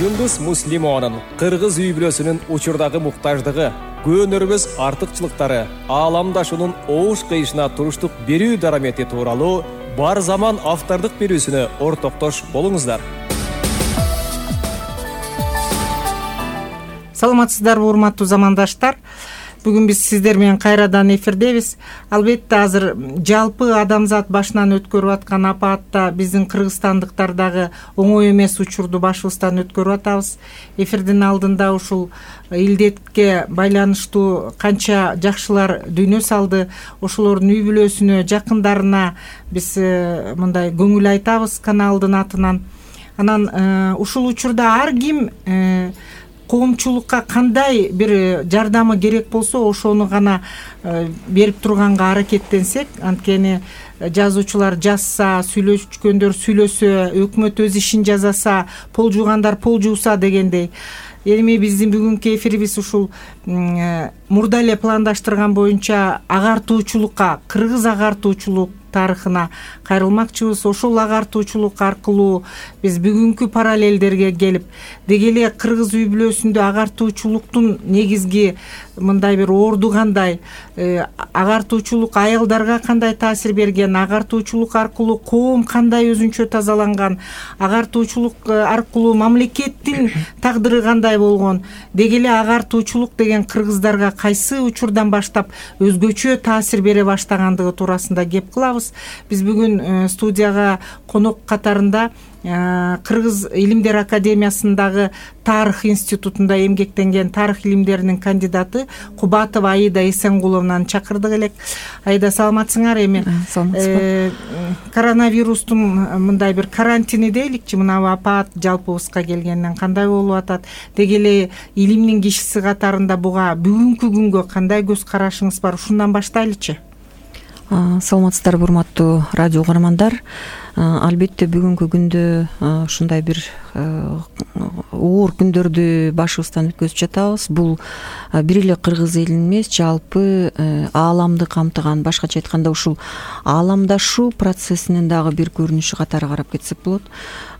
Юндус Муслимованын кыргыз үй бүлөсүнүн учурдагы муктаждыгы, көөнөрбөс артыкчылыктары, ааламдашуунун оош кыйышына туруштук берүү дарамети тууралуу бар заман автордук берүүсүнө ортоктош болуңуздар. Саламатсыздарбы, урматтуу замандаштар. Бүгүн биз сиздер менен кайрадан эфирдебиз. Албетте азыр жалпы адамзат башынан өткөрүп аткан апаатта биздин кыргызстандыктардагы оңой эмес учурду башыбыздан өткөрүп атабыз. Эфирдин алдында ушул илдетке байланыштуу канча жакшылар дүйнө салды, ошолордун үй бүлөсүнө, жакындарына биз мындай көңүл айтабыз каналдын атынан. Анан ушул учурда ар ким коомчулукка кандай бир жардамы керек болсо ошону гана берип турганга аракеттенсек, анткени жазуучулар жазса, сүйлөшкөндөр сүйлөсө, өкмөт өз ишин жасаса, пол жуугандар пол жууса дегендей. Эми биздин бүгүнкү эфирибиз ушул мурда эле пландаштырган боюнча агартуучулукка, кыргыз агартуучулук тарыхына кайрылмакчыбыз. Ошол агартуучулук аркылуу биз бүгүнкү параллелдерге келип, деги эле кыргыз үй бүлөсүндө агартуучулуктун негизги мындай бир орду кандай, агартуучулук аялдарга кандай таасир берген, агартуучулук аркылуу коом кандай өзүнчө тазаланган, агартуучулук аркылуу мамлекеттин тагдыры кандай болгон, деги эле агартуучулук деген кыргыздарга кайсы учурдан баштап өзгөчө таасир бере баштагандыгы туурасында кеп кылабыз. Биз бүгүн студияга конок катарында Кыргыз Илимдер Академиясындагы Тарых институтунда эмгектенген тарых илимдеринин кандидаты Кубатова Аида Эсенгуловнаны чакырдык элек. Аида, саламатсыңар? Эми коронавирустун мындай бир карантини дейликчи, мына апаат жалпыбызга келгенден кандай болуп атат? Деги эле илимдин кишиси катарында буга бүгүнкү күнгө кандай көз карашыңыз бар? Ушундан баштайлычы. Саламатсыздарбы, урматтуу радио угармандар. Албетте бүгүнкү күндө ушундай бир оор күндөрдү башыбыздан өткөзүп жатабыз. Бул бир эле кыргыз элин эмес, жалпы ааламды камтыган, башкача айтканда ушул ааламдашуу процессинин дагы бир көрүнүшү катары карап кетсек болот.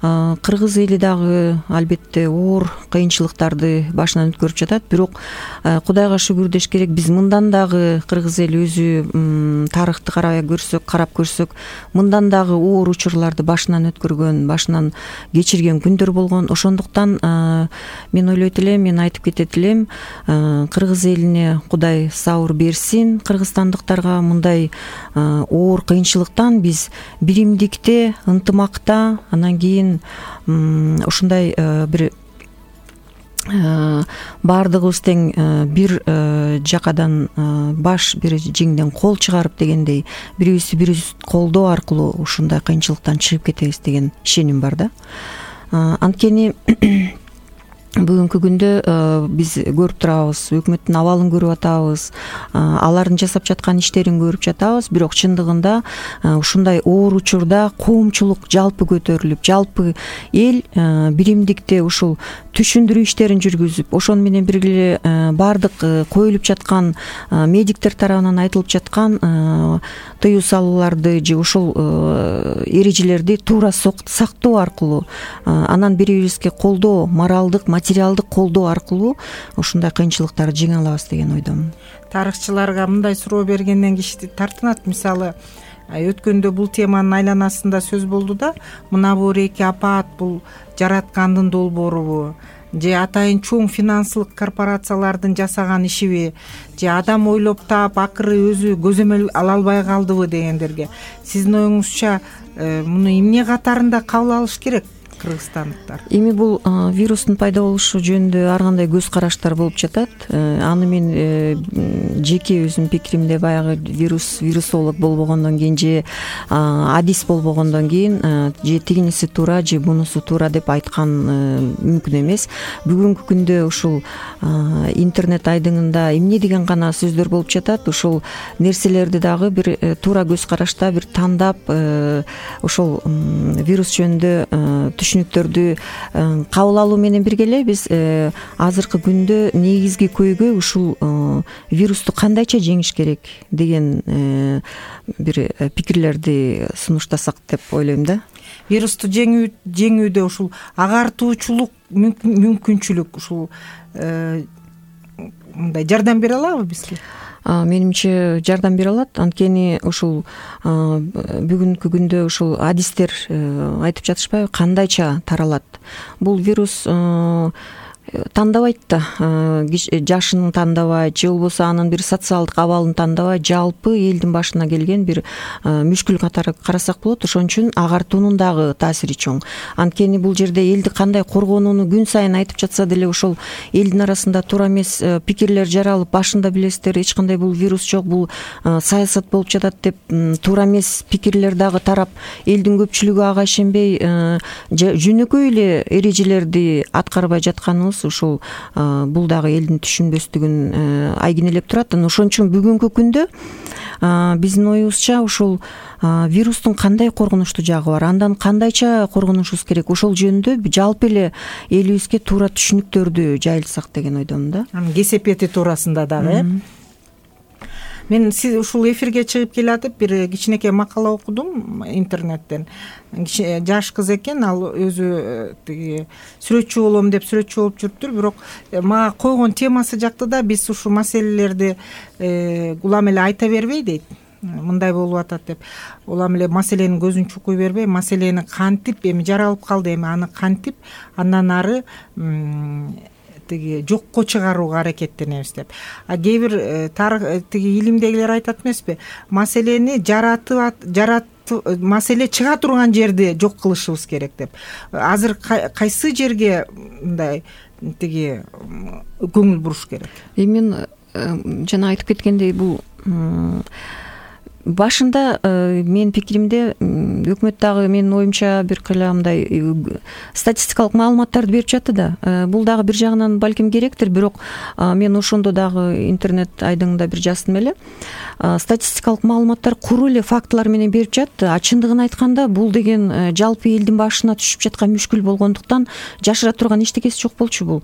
Кыргыз эли дагы албетте оор кыйынчылыктарды башынан өткөрүп жатат, бирок Кудайга шүгүр деш керек, биз мындан дагы кыргыз эли өзү тарыхты карап көрсөк, мындан дагы оор учурларды башынан өткөргөн, башынан кечирген күндөр болгон. Ошондуктан мен ойлойт элем, мен айтып кетет элем, кыргыз элине Кудай сабыр берсин, кыргызстандыктарга мындай оор кыйынчылыктан биз биримдикте, ынтымакта, анан кийин ушундай бир баардыгыбыз тең бир жакадан баш, бир жеңден кол чыгарып дегендей, бирибиз колдоо аркылуу ушундай кыйынчылыктан чыгып кетебиз деген ишеним бар да. Анткени бүгүнкү күндө биз көрүп турабыз, өкмөттүн абалын көрүп атабыз, алардын жасап жаткан иштерин көрүп жатабыз, бирок чындыгында ушундай оор учурда коомчулук жалпы көтөрүлүп, жалпы эл биримдикте ушул түшүндүрүү иштерин жүргүзүп, ошону менен бирге баардык коюлуп жаткан медиктер тарабынан айтылып жаткан тыюу салууларды же ошол эрежелерди туура сактоо аркылуу, анан бири-бирибизге колдоо, моралдык, материалдык колдоо аркылуу ушундай кыйынчылыктарды жеңе алабыз деген ойдомун. Тарыхчыларга мындай суроо бергенден киши тартынат. Мисалы, өткөндө бул теманын айланасында сөз болду да, мына бул эки апаат бул жараткандын долбоорубу, же атайын чоң финансылык корпорациялардын жасаган ишиби, же адам ойлоп таап акыры өзү көзөмөл ала албай калдыбы дегендерге сиздин оюңузча муну эмне катарында кабыл алыш керек кыргызстандыктар? Эми бул вирустун пайда болушу жөнүндө ар кандай көз караштар болуп жатат. Аны мен жеке өзүмдүн пикиримде баягы вирусолог болбогондон кийин же адис болбогондон кийин же тигиниси туура же бунусу туура деп айткан мүмкүн эмес. Бүгүнкү күндө ушул интернет айдыңында эмне деген гана сөздөр болуп жатат. Ушул нерселерди дагы бир туура көз карашта бир тандап ошол вирус жөнүндө түшүнүктөрдү кабыл алуу менен бирге эле биз азыркы күндө негизги көйгөй ушул вирусту кандайча жеңиш керек деген бир пикирлерди сунуштасак деп ойлойм да. вирусту жеңүүдө ушул агартуучулук мүмкүнчүлүк ушул мындай жардам бере алабы бизге? Менимче жардам бере алат. Анткени ушул бүгүнкү күндө ушул адистер айтып жатышпайбы, кандайча таралат. Бул вирус тандабайт да, жашын тандабайт же болбосо анын бир социалдык абалын тандабайт, жалпы элдин башына келген бир мүшкүл катары карасак болот. Ошон үчүн агартуунун дагы таасири чоң. Анткени бул жерде элди кандай коргонууну күн сайын айтып жатса деле ошол элдин арасында туура эмес пикирлер жаралып, башында билесиздер эч кандай бул вирус жок, бул саясат болуп жатат деп туура эмес пикирлер дагы тарап, элдин көпчүлүгү ага ишенбей жөнөкөй эле эрежелерди аткарбай жатканыбыз ушул бул дагы элдин түшүнбөстүгүн айгинелеп турат. Ошон үчүн бүгүнкү күндө биздин оюбузча ушул вирустун кандай коркунучтуу жагы бар, андан кандайча коргонушубуз керек, ошол жөнүндө жалпы эле элибизге туура түшүнүктөрдү жайылтсак деген ойдомун да. Анын кесепети туурасында дагы. Мен сиз ушул эфирге чыгып келатып бир кичинекей макала окудум интернеттен. Жаш кыз экен, ал өзү тиги сүрөтчү болом деп сүрөтчү болуп жүрүптүр, бирок мага койгон темасы жакты да, биз ушул маселелерди улам эле айта бербей дейт. Мындай болуп атат деп. Улам эле маселенин көзүн чукуй бербей, маселени кантип эми жаралып калды, эми аны кантип андан ары тиги жокко чыгарууга аракеттенебиз деп. Кээ бир тиги илимдегилер айтат эмеспи? Маселени маселе чыга турган жерди жок кылышыбыз керек деп. Азыр кайсы жерге мындай тиги көңүл буруш керек? Мен жана айтып кеткендей, бул башында менин пикиримде өкмөт дагы менин оюмча бир кыйла мындай статистикалык маалыматтарды берип жатты да. Бул дагы бир жагынан балким керектир, бирок мен ошондо дагы интернет айдыңында бир жаздым эле. Статистикалык маалыматтар куру эле фактылар менен берип жатты. Чындыгын айтканда бул деген жалпы элдин башына түшүп жаткан мүшкүл болгондуктан жашыра турган эчтекеси жок болчу бул.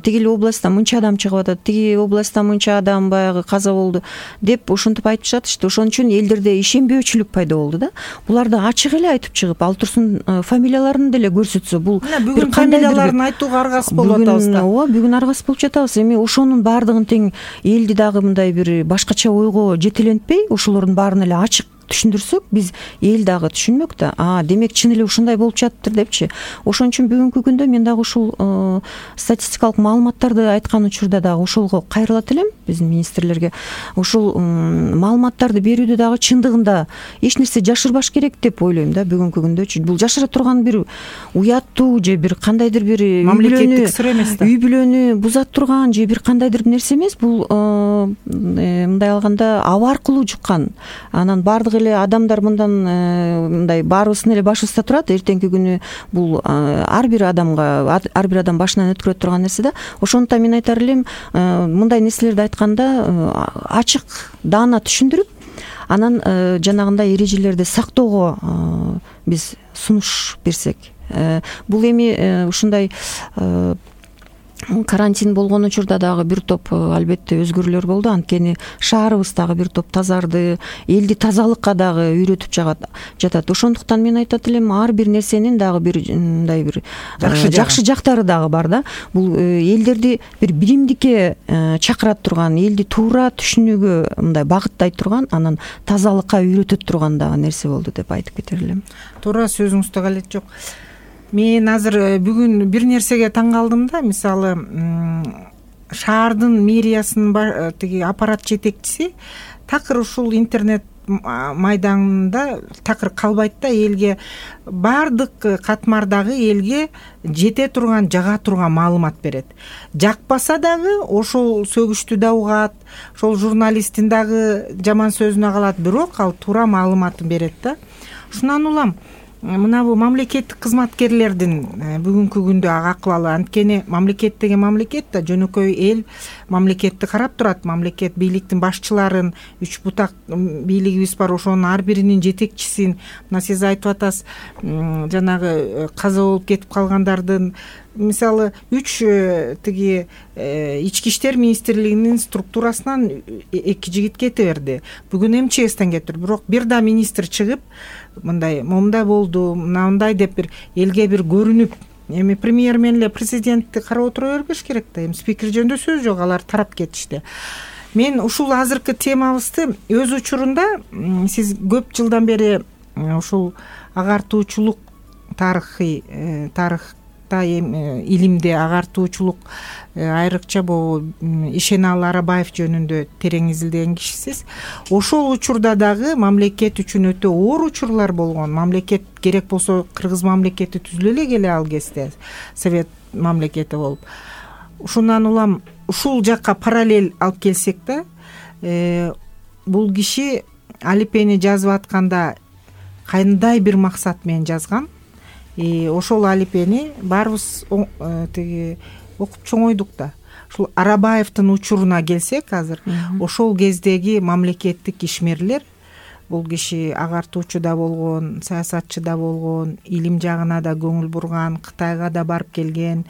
Тиги эле областтан мынча адам чыгып атат, тиги областтан мынча адам баягы каза болду деп ошентип айтып жатышты. Ошон үчүн элдерде ишенбөөчүлүк пайда болду да. Буларды ачык эле айтып чыгып, ал турсун фамилияларын деле көрсөтсө, бул бүгүн фамилияларын айтууга аргасыз болуп атабыз да. Ооба, бүгүн аргасыз болуп жатабыз. Эми ошонун баардыгын тең элди дагы мындай бир башкача ойго жетелентпей, ошолордун баарын эле ачык түшүндүрсөк, биз эл дагы түшүнмөк да. Демек чын эле ушундай болуп жатыптыр депчи. Ошон үчүн бүгүнкү күндө мен дагы ушул статистикалык маалыматтарды айткан учурда дагы ошолго кайрылат элем, биздин министрлерге. Ушул маалыматтарды берүүдө дагы чындыгында эч нерсе жашырбаш керек деп ойлойм да бүгүнкү күндөчү. Бул жашыра турган бир уяттуу же бир кандайдыр бир мамлекеттик сыр эмес да. Үй бүлөнү бузат турган же бир кандайдыр нерсе эмес. Бул мындай алганда аба аркылуу жуккан. Анан бардык эле адамдар мындан мындай баарыбыздын эле башыбызда турат. Эртеңки күнү бул ар бир адам башынан өткөрө турган нерсе да. Ошондуктан мен айтар элем, мындай нерселерди айтканда ачык, даана түшүндүрүп, анан жанагындай эрежелерди сактоого биз сунуш берсек. Бул эми ушундай карантин болгон учурда дагы бир топ албетте өзгөрүүлөр болду. Анткени шаарыбыз дагы бир топ тазарды, элди тазалыкка дагы үйрөтүп жатат. Ошондуктан мен айтат элем, ар бир нерсенин дагы бир мындай бир жакшы жактары дагы бар да. Бул элдерди бир биримдикке чакырат турган, элди туура түшүнүүгө мындай багыттай турган, анан тазалыкка үйрөтөт турган дагы нерсе болду деп айтып кетер элем. Туура, сөзүңүздө калет жок. Мен азыр бүгүн бир нерсеге таң калдым да. Мисалы, шаардын мэриясынын тиги аппарат жетекчиси такыр ушул интернет майданында такыр калбайт да, элге баардык катмардагы элге жете турган, жага турган маалымат берет. Жакпаса дагы ошол сөгүштү да угат, ошол журналисттин дагы жаман сөзүнө калат, бирок ал туура маалыматын берет да. Ушунан улам мына бул мамлекеттик кызматкерлердин бүгүнкү күндө акыбалы. Анткени мамлекет деген мамлекет да, жөнөкөй эл мамлекетти карап турат. Мамлекет бийликтин башчыларын, үч бутак бийлигибиз бар, ошонун ар биринин жетекчисин, мына сиз айтып атасыз, жанагы каза болуп кетип калгандардын мисалы 3 тиги ички иштер министрлигинин структурасынан 2 жигит кете берди. Бүгүн МЧСтен кетти. Бирок бир да министр чыгып мындай момундай болду, мындай деп бир элге бир көрүнүп, эми премьер менен эле президентти карап отура бербеш керек да. Эми спикер жөнүндө сөз жок, алар тарап кетишти. Мен ушул азыркы темабызды өз учурунда сиз көп жылдан бери ушул агартуучулук тарыхта илимде агартуучулук айрыкча Ишеналы Арабаев жөнүндө терең изилдеген кишисиз. Ошол учурда дагы мамлекет үчүн өтө оор учурлар болгон. Мамлекет керек болсо кыргыз мамлекети түзүлө эле келе ал кезде совет мамлекети болуп. Ушундан улам ушул жакка параллель алып келсек да, бул киши алипени жазып атканда кандай бир максат менен жазган. Ошол алипени баарыбыз тиги окуп чоңойдук да. Ушул Арабаевдин учуруна келсек азыр, ошол кездеги мамлекеттик ишмерлер, бул киши агартуучу да болгон, саясатчы да болгон, илим жагына да көңүл бурган, Кытайга да барып келген,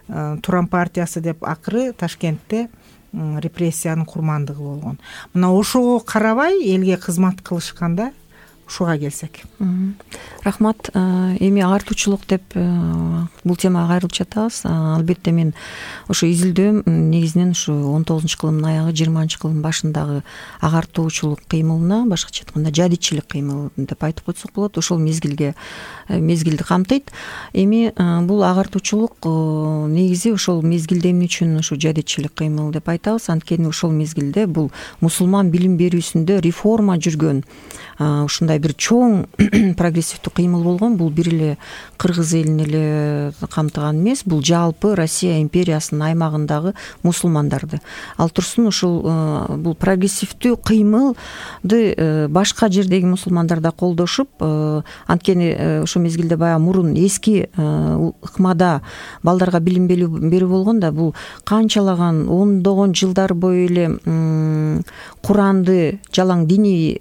Туран партиясы деп акыры Ташкентте репрессиянын курмандыгы болгон. Мына ошого карабай элге кызмат кылышканда ушуга келсек. Рахмат. Эми агартуучулук деп бул темага кайрылып жатабыз. Албетте мен ошо изилдөөм негизинен ушу 19-кылымдын аягы 20-кылымдын башындагы агартуучулук кыймылына, башкача айтканда жадичилик кыймыл деп айтып койсок болот, ошол мезгилди камтыйт. Эми бул агартуучулук негизи ошол мезгилде эмне үчүн ушу жадичилик кыймыл деп айтабыз? Анткени ошол мезгилде бул мусулман билим берүүсүндө реформа жүргөн ушундай бир чоң прогрессивдүү кыймыл болгон. Бул бир эле кыргыз элин эле камтыган эмес, бул жалпы Россия империясынын аймагындагы мусулмандарды. Ал турсун ушул бул прогрессивдүү кыймылды башка жердеги мусулмандар да колдошуп, анткени ошол мезгилде баягы мурун эски ыкмада балдарга билим берүү болгон да, бул канчалаган ондогон жылдар бою эле Куранды жалаң диний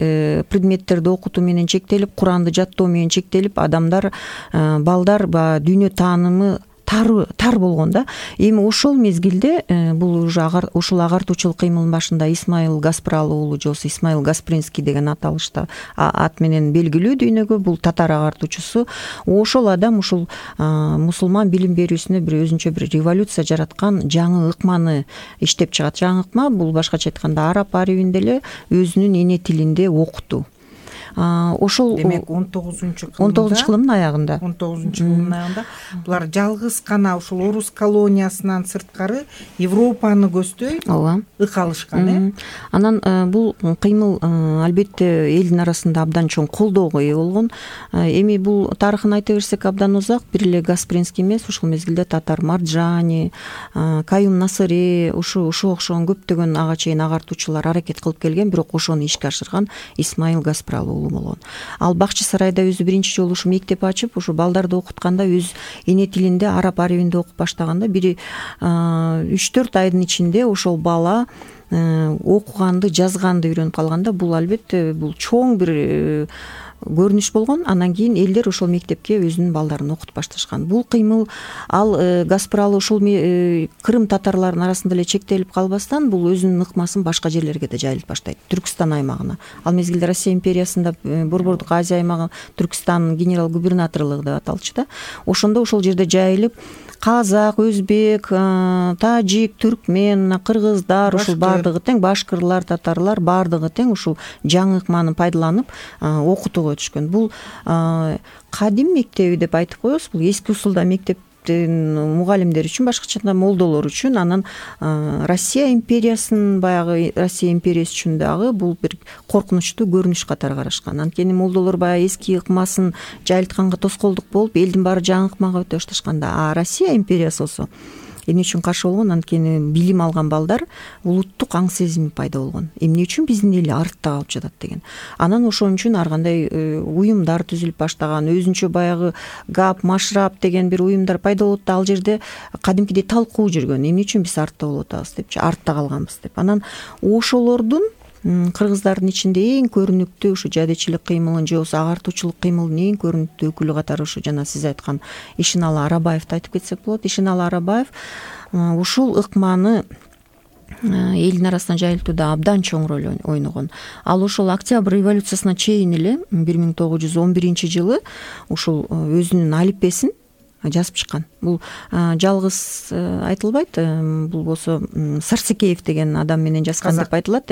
предметтерди окутуу менен чектелип, Куранды жаттоо менен чектелип, адамдар, балдар дүйнө таанымы тар болгон да. Эми ошол мезгилде бул уже ушул агартуучулук кыймылдын башында Исмаил Гаспрал уулу, же болбосо Исмаил Гаспринский деген аталышта ат менен белгилүү дүйнөгө, бул татар агартуучусу. Ошол адам ушул мусулман билим берүүсүнө бир өзүнчө бир революция жараткан жаңы ыкманы иштеп чыгат. Жаңы ыкма бул башкача айтканда араб арабинде эле өзүнүн эне тилинде окутуу. Ошол демек 19-кылымдын аягында 19-кылымдын аягында булар жалгыз гана ушул орус колониясынан сырткары Европаны көздөй ык алышкан. Анан бул кыймыл албетте элдин арасында абдан чоң колдоого ээ болгон. Эми бул тарыхын айта берсек абдан узак, бир эле Гаспринский эмес, ушул мезгилде Татар Марджани, Каюм Насыри, ушуга окшогон көптөгөн ага чейин агартуучулар аракет кылып келген, бирок ошону ишке ашырган Исмаил Гаспрал болгон. Ал Бакчы сарайда өзү биринчи жолу ушу мектеп ачып, ушу балдарды окутканда өз эне тилинде араб арабинде окуп баштаганда бир 3-4 айдын ичинде ошол бала окуганды, жазганды үйрөнүп калганда, бул албетте бул чоң бир көрүнүш болгон. Анан кийин элдер ошол мектепке өзүнүн балдарын окутуп башташкан. Бул кыймыл ал Гаспрал ошол Крым татарларынын арасында эле чектелип калбастан, бул өзүнүн ыкмасын башка жерлерге да жайылтып баштайт, Түркстан аймагына. Ал мезгилде Россия империясында Борбордук Азия аймагы Түркстандын генерал губернаторлугу деп аталчу да. Ошондо ошол жерде жайылып, казак, өзбек, тажик, түркмен, кыргыздар, ушул баардыгы тең, башкырлар, татарлар баардыгы тең ушул жаңы ыкманы пайдаланып окутууга өтүшкөн. Бул кадим мектеби деп айтып коебуз. Бул эски усулда мектептин мугалимдери үчүн, башкача айтканда молдолор үчүн, анан Россия империясынын баягы Россия империясы үчүн дагы бул бир коркунучтуу көрүнүш катары карашкан. Анткени молдолор баягы эски ыкмасын жайылтканга тоскоолдук болуп, элдин баары жаңы ыкмага өтө башташканда, а Россия империясы болсо эмне үчүн каршы болгон? Анткени билим алган балдар улуттук аң сезими пайда болгон. Эмне үчүн биздин эл артта калып жатат деген. Анан ошон үчүн ар кандай уюмдар түзүлүп баштаган, өзүнчө баягы ГАП, Машрап деген бир уюмдар пайда болуп да, ал жерде кадимкидей талкуу жүргөн. Эмне үчүн биз артта болуп атабыз депчи, артта калганбыз деп. Анан ошолордун кыргыздардын ичинде эң көрүнүктүү ушу жадычылык кыймылын же болбосо агартуучулук кыймылдын эң көрүнүктүү өкүлү катары ушу жана сиз айткан Ишеналы Арабаевди айтып кетсек болот. Ишеналы Арабаев ушул ыкманы элдин арасына жайылтууда абдан чоң роль ойногон. Ал ушул Октябрь революциясына чейин эле 1911-жылы ушул өзүнүн алиппесин жазып чыккан. Бул жалгыз айтылбайт. Бул болсо Сарсекеев деген адам менен жазган деп айтылат,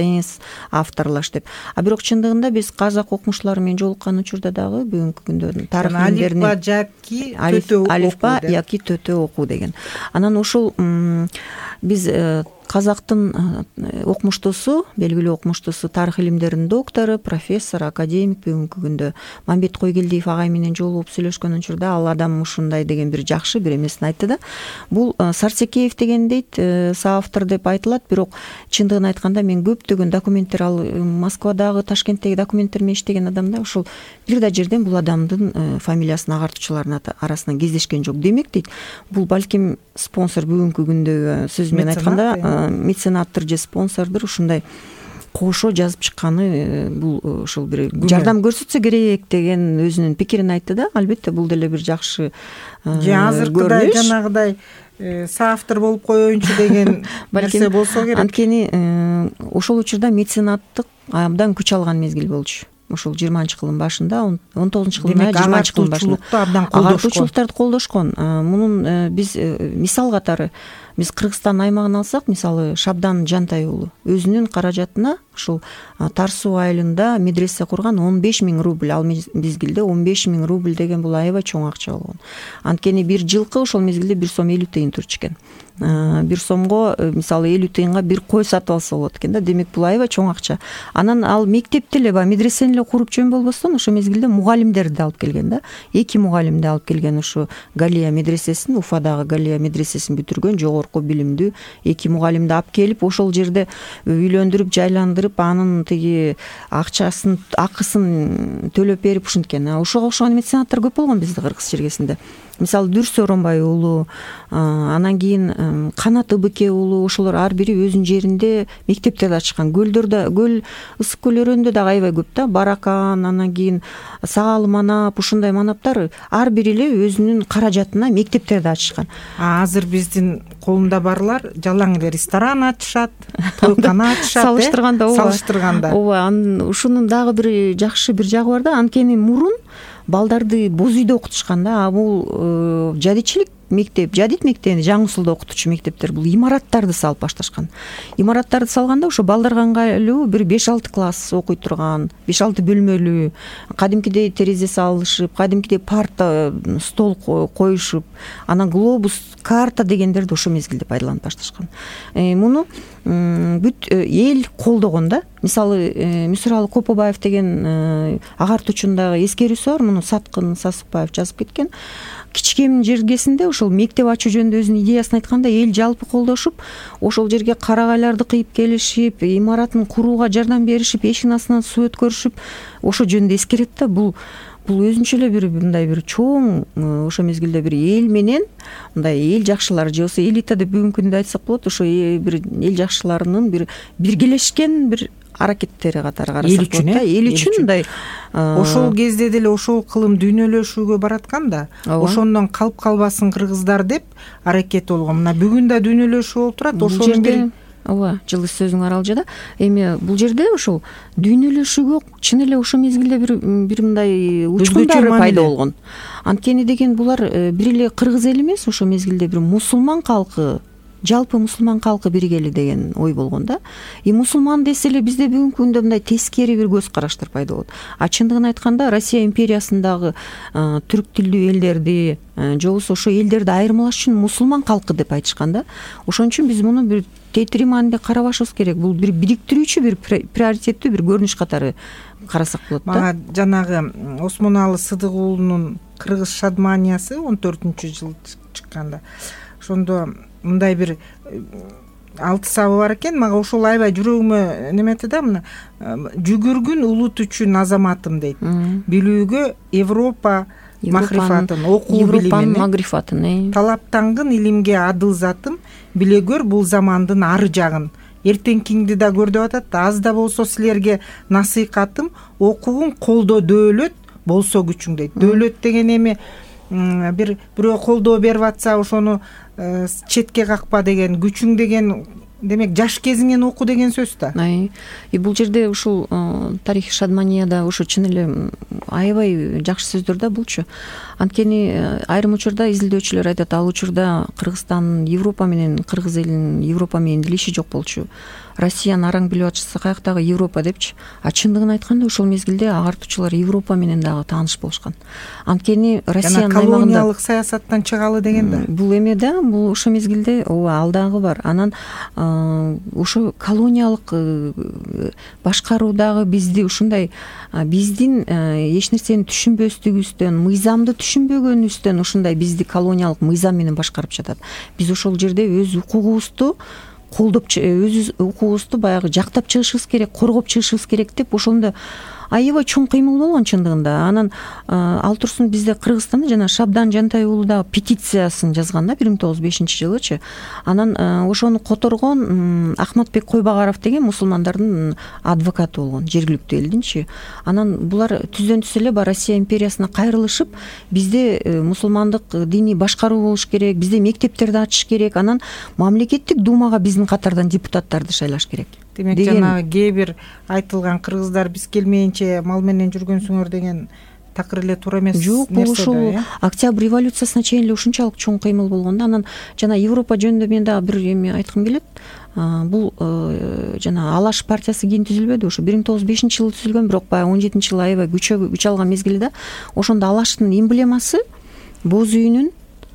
авторлаш деп. А бирок чындыгында биз казак окумуштуулары менен жолуккан учурда дагы бүгүнкү күндө тарых илимдеринин алифба яки төтө окуу деген. Анан ушул биз казактын окумуштуусу, белгилүү окумуштуусу, тарых илимдеринин доктору, профессор, академик бүгүнкү күндө Мамбет Койгелдиев агай менен жолугуп сүйлөшкөн учурда ал адам ушундай деген бир жакшы бир эмесин айтты да. Бул Сарсекеев деген дейт, соавтор деп айтылат, бирок чындыгын айтканда мен көптөгөн документтер, ал Москвадагы, Ташкенттеги документтер менен иштеген адам да, ушул бир да жерден бул адамдын фамилиясын агартуучулардын арасынан кездешкен жок. Демек дейт, бул балким спонсор бүгүнкү күндөгү сөз менен айтканда меценаттыр же спонсордур, ушундай кошо жазып чыкканы бул ушул бир жардам көрсөтсө керек деген өзүнүн пикирин айтты да. Албетте бул деле бир жакшы же азыркыдай жанагыдай соавтор болуп коеюнчу деген нерсе болсо керек. Анткени ошол учурда меценаттык абдан күч алган мезгил болчу. Ушул 20-кылдын башында, 19-кылдын 20-кылдын башында агартуучулуктарды колдошкон. Мунун биз мисал катары биз Кыргызстан аймагын алсак, мисалы Шабдан Жантай уулу өзүнүн каражатына ушул Тар суу айылында медресе курган 15 000 рубль. Ал мезгилде 15 000 рубль деген бул аябай чоң акча болгон. Анткени бир жылкы ошол мезгилде 1 сом 50 тыйын турчу экен. 1 сомго мисалы 50 тыйынга бир кой сатып алса болот экен да. Демек бул аябай чоң акча. Анан ал мектепти эле, медресени эле куруп жөн болбостон ошол мезгилде мугалимдерди алып келген да. 2 мугалимди алып келген, ушу Галия медресесин, Уфадагы Галия медресесин бүтүргөн жогорку билимдүү 2 мугалимди алып келип, ошол жерде үйлөндүрүп, жайландырып, анын тиги акчасын, акысын төлөп берип ушинткен. Ошого окшогон меценаттар көп болгон биздин Кыргыз чергесинде. Мисалы Дүрс Оронбай уулу, анан кийин Канат Ыбыке уулу, ошолор ар бири өзүнүн жеринде мектептерди ачкан. Көлдөрдө, көл ысык көл өрөөнүндө дагы аябай көп да. Баракан, анан кийин Саалы Манап, ушундай манаптар ар бири эле өзүнүн каражатына мектептерди ачышкан. Азыр биздин колунда барлар жалаң эле ресторан ачышат, тойкана ачышат. Салыштырганда. Ооба, ушунун дагы бир жакшы бир жагы бар да. Анткени мурун балдарды боз үйдө окутушкан да. Бул жадичилик мектеп, жадит мектебинде, Жаңы Усулда окутуучу мектептер бул имараттарды салып башташкан. Имараттарды салганда ошо балдарга ыңгайлуу бир 5-6 класс окуй турган, 5-6 бөлмөлүү, кадимкидей терезе салышып, кадимкидей парта, стол коюшуп, анан глобус, карта дегендерди ошол мезгилде пайдаланып башташкан. Муну бүт эл колдогон да. Мисалы Мүсүралы Копобаев деген агартуучунун дагы эскерүүсү бар. Муну Саткын Сасыкбаев жазып кеткен. Кичкем жергесинде ошол мектеп ачуу жөнүндө өзүнүн идеясын айтканда эл жалпы колдошуп, ошол жерге карагайларды кыйып келишип, имаратын курууга жардам беришип, эшигин астынан суу өткөрүшүп, ошол жөнүндө эскерет да. Бул өзүнчө эле бир мындай бир чоң, ошол мезгилде бир эл менен мындай эл жакшылар же болбосо элита деп бүгүнкү күндө айтсак болот, ошо бир эл жакшыларынын бир биргелешкен бир аракеттери катары карасак болот да. Эл үчүн мындай ошол кезде деле ошол кылым дүйнөлөшүүгө бараткан да. Ошондон калып калбасын кыргыздар деп аракет болгон. Мына бүгүн да дүйнөлөшүү болуп турат. Ошол жерде ооба, жылы сөзүң аралжы да. Эми бул жерде ошол дүйнөлөшүүгө чын эле ошол мезгилде бир мындай учкундары пайда болгон. Анткени деген булар бир эле кыргыз эли эмес, ошол мезгилде бир мусулман калкы, жалпы мусулман калкы биргели деген ой болгон да. Мусулман десе эле бизде бүгүнкү күндө мындай тескери бир көз караштар пайда болот. А чындыгын айтканда Россия империясындагы түрк тилдүү элдерди же болбосо ошо элдерди айырмалаш үчүн мусулман калкы деп айтышкан да. Ошон үчүн биз муну бир тетири маанинде карабашыбыз керек. Бул бир бириктирүүчү, бир приоритеттүү бир көрүнүш катары карасак болот да. Мага жанагы Осмоналы Сыдык уулунун Кыргыз Шадманиясы 14-жылы чыкканда, ошондо мындай бир 6 сабы бар экен. Мага ошол аябай жүрөгүмө неметти да. Мына жүгүргүн улут үчүн азаматым дейт. Билүүгө Европа махрифатын, окуу билимин, магрифатын, талаптангын илимге адыл затым, биле көр бул замандын ары жагын. эртеңкиңди да көр деп атат. Аз да болсо силерге насыйкатым, окугуң, колдоо дөөлөт болсо күчүң дейт. Дөөлөт деген эми бирөө колдоо берип атса ошону четке какпа деген, күчүң деген демек жаш кезиңен оку деген сөз да. Бул жерде ушул тарихи шадманияда ушу чын эле аябай жакшы сөздөр да булчу. Анткени айрым учурда изилдөөчүлөр айтат, ал учурда Кыргызстан Европа менен, кыргыз элинин Европа менен илиши жок болчу. Россияны араң билип атышса каяктагы Европа депчи. А чындыгын айтканда ошол мезгилде агартуучулар Европа менен дагы тааныш болушкан. Анткени Россиянын колониялык саясаттан чыгалы деген да. Бул эме да, бул ошо мезгилде ал дагы бар. Анан ошо колониялык башкаруудагы бизди ушундай биздин эч нерсени түшүнбөстүгүбүздөн, мыйзамды түшүнбөгөнүбүздөн ушундай бизди колониялык мыйзам менен башкарып жатат. Биз ошол жерде өз укугубузду колдоп, өз укугубузду баягы жактап чыгышыбыз керек, коргоп чыгышыбыз керек деп ошондо аябай чоң кыймыл болгон чындыгында. Анан ал турсун бизде Кыргызстанда жана Шабдан Жантай уулу дагы петициясын жазган да 1905-жылычы. Анан ошону которгон Ахматбек Койбагаров деген мусулмандардын адвокаты болгон, жергиликтүү элдинчи. Анан булар түздөн түз эле Россия империясына кайрылышып, бизде мусулмандык диний башкаруу болуш керек, бизде мектептерди ачыш керек, анан мамлекеттик думага биздин катардан депутаттарды шайлаш керек. Демек жанагы кээ бир айтылган кыргыздар биз келмейинче мал менен жүргөнсүңөр деген такыр эле туура эмес. Жок, бул ушул Октябрь революциясына чейин эле ушунчалык чоң кыймыл болгон да. Анан жана Европа жөнүндө мен дагы бир эме айткым келет. Бул жана Алаш партиясы кийин түзүлбөдү, ошо 1905-жылы түзүлгөн, бирок баягы 17-жылы аябай күч алган мезгилде ошондо Алаштын эмблемасы боз үйүнүн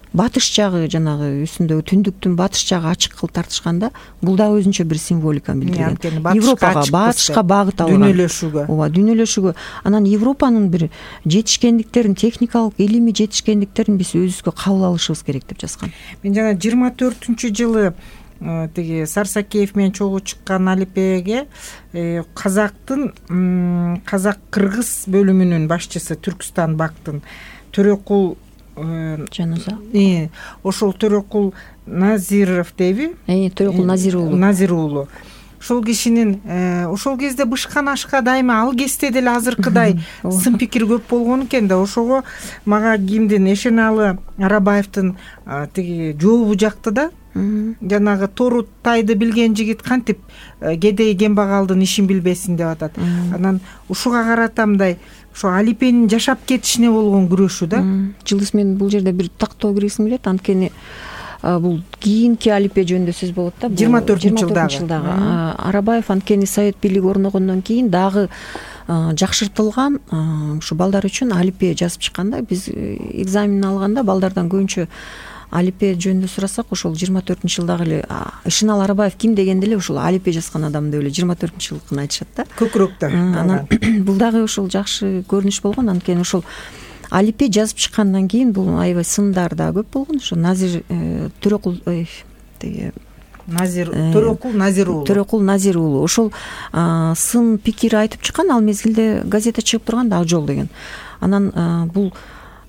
батыш жагы, жанагы үстүндөгү түндүктүн батыш жагы ачык кылып тартышканда, бул дагы өзүнчө бир символиканы билдирген. Европага, батышка багыт алган. Дүйнөлөшүүгө. Ооба, дүйнөлөшүүгө. Анан Европанын бир жетишкендиктерин, техникалык, илимий жетишкендиктерин биз өзүбүзгө кабыл алышыбыз керек деп жазган. Мен жана 24-жылы тиги Сарсакеев менен чогуу чыккан Алипеге казактын казак-кыргыз бөлүмүнүн башчысы Түркстан бактын Төрөкул Жануза. Ошол Төрөкул Назиров дейби? Төрөкул Назир уулу. Назир уулу. Ошол кишинин ошол кезде бышкан ашка дайыма ал кезде деле азыркыдай сын пикир көп болгон экен да. Ошого мага кимдин Эшеналы Арабаевдин тиги жообу жакты да. Жанагы Торутайды билген жигит кантип кедей кембагалдын ишин билбесин деп атат. Анан ушуга каратамдай ошо Алипенин жашап кетишине болгон күрөшү да. Жылдыз, мен бул жерде бир тактоо киргизгим келет. Анткени бул кийинки Алипе жөнүндө сөз болот да. 24-жылдагы. Арабаев анткени Совет бийлиги орногондон кийин дагы жакшыртылган ушу балдар үчүн Алипе жазып чыккан да. Биз экзамен алганда балдардан көбүнчө Алипе жөнүндө сурасак, ошол 24-жылдагы эле Ишинал Арабаев ким дегенде эле ошол Алипе жазган адам деп эле 24-жылдыкын айтышат да. Көкүрөктө. Анан бул дагы ошол жакшы көрүнүш болгон. Анткени ошол Алипе жазып чыккандан кийин бул аябай сындар да көп болгон. Ошо Назир Төрөкул тиги Төрөкул Назир уулу. Төрөкул Назир уулу ошол сын пикир айтып чыккан. Ал мезгилде газета чыгып турган да, Ак жол деген. Анан бул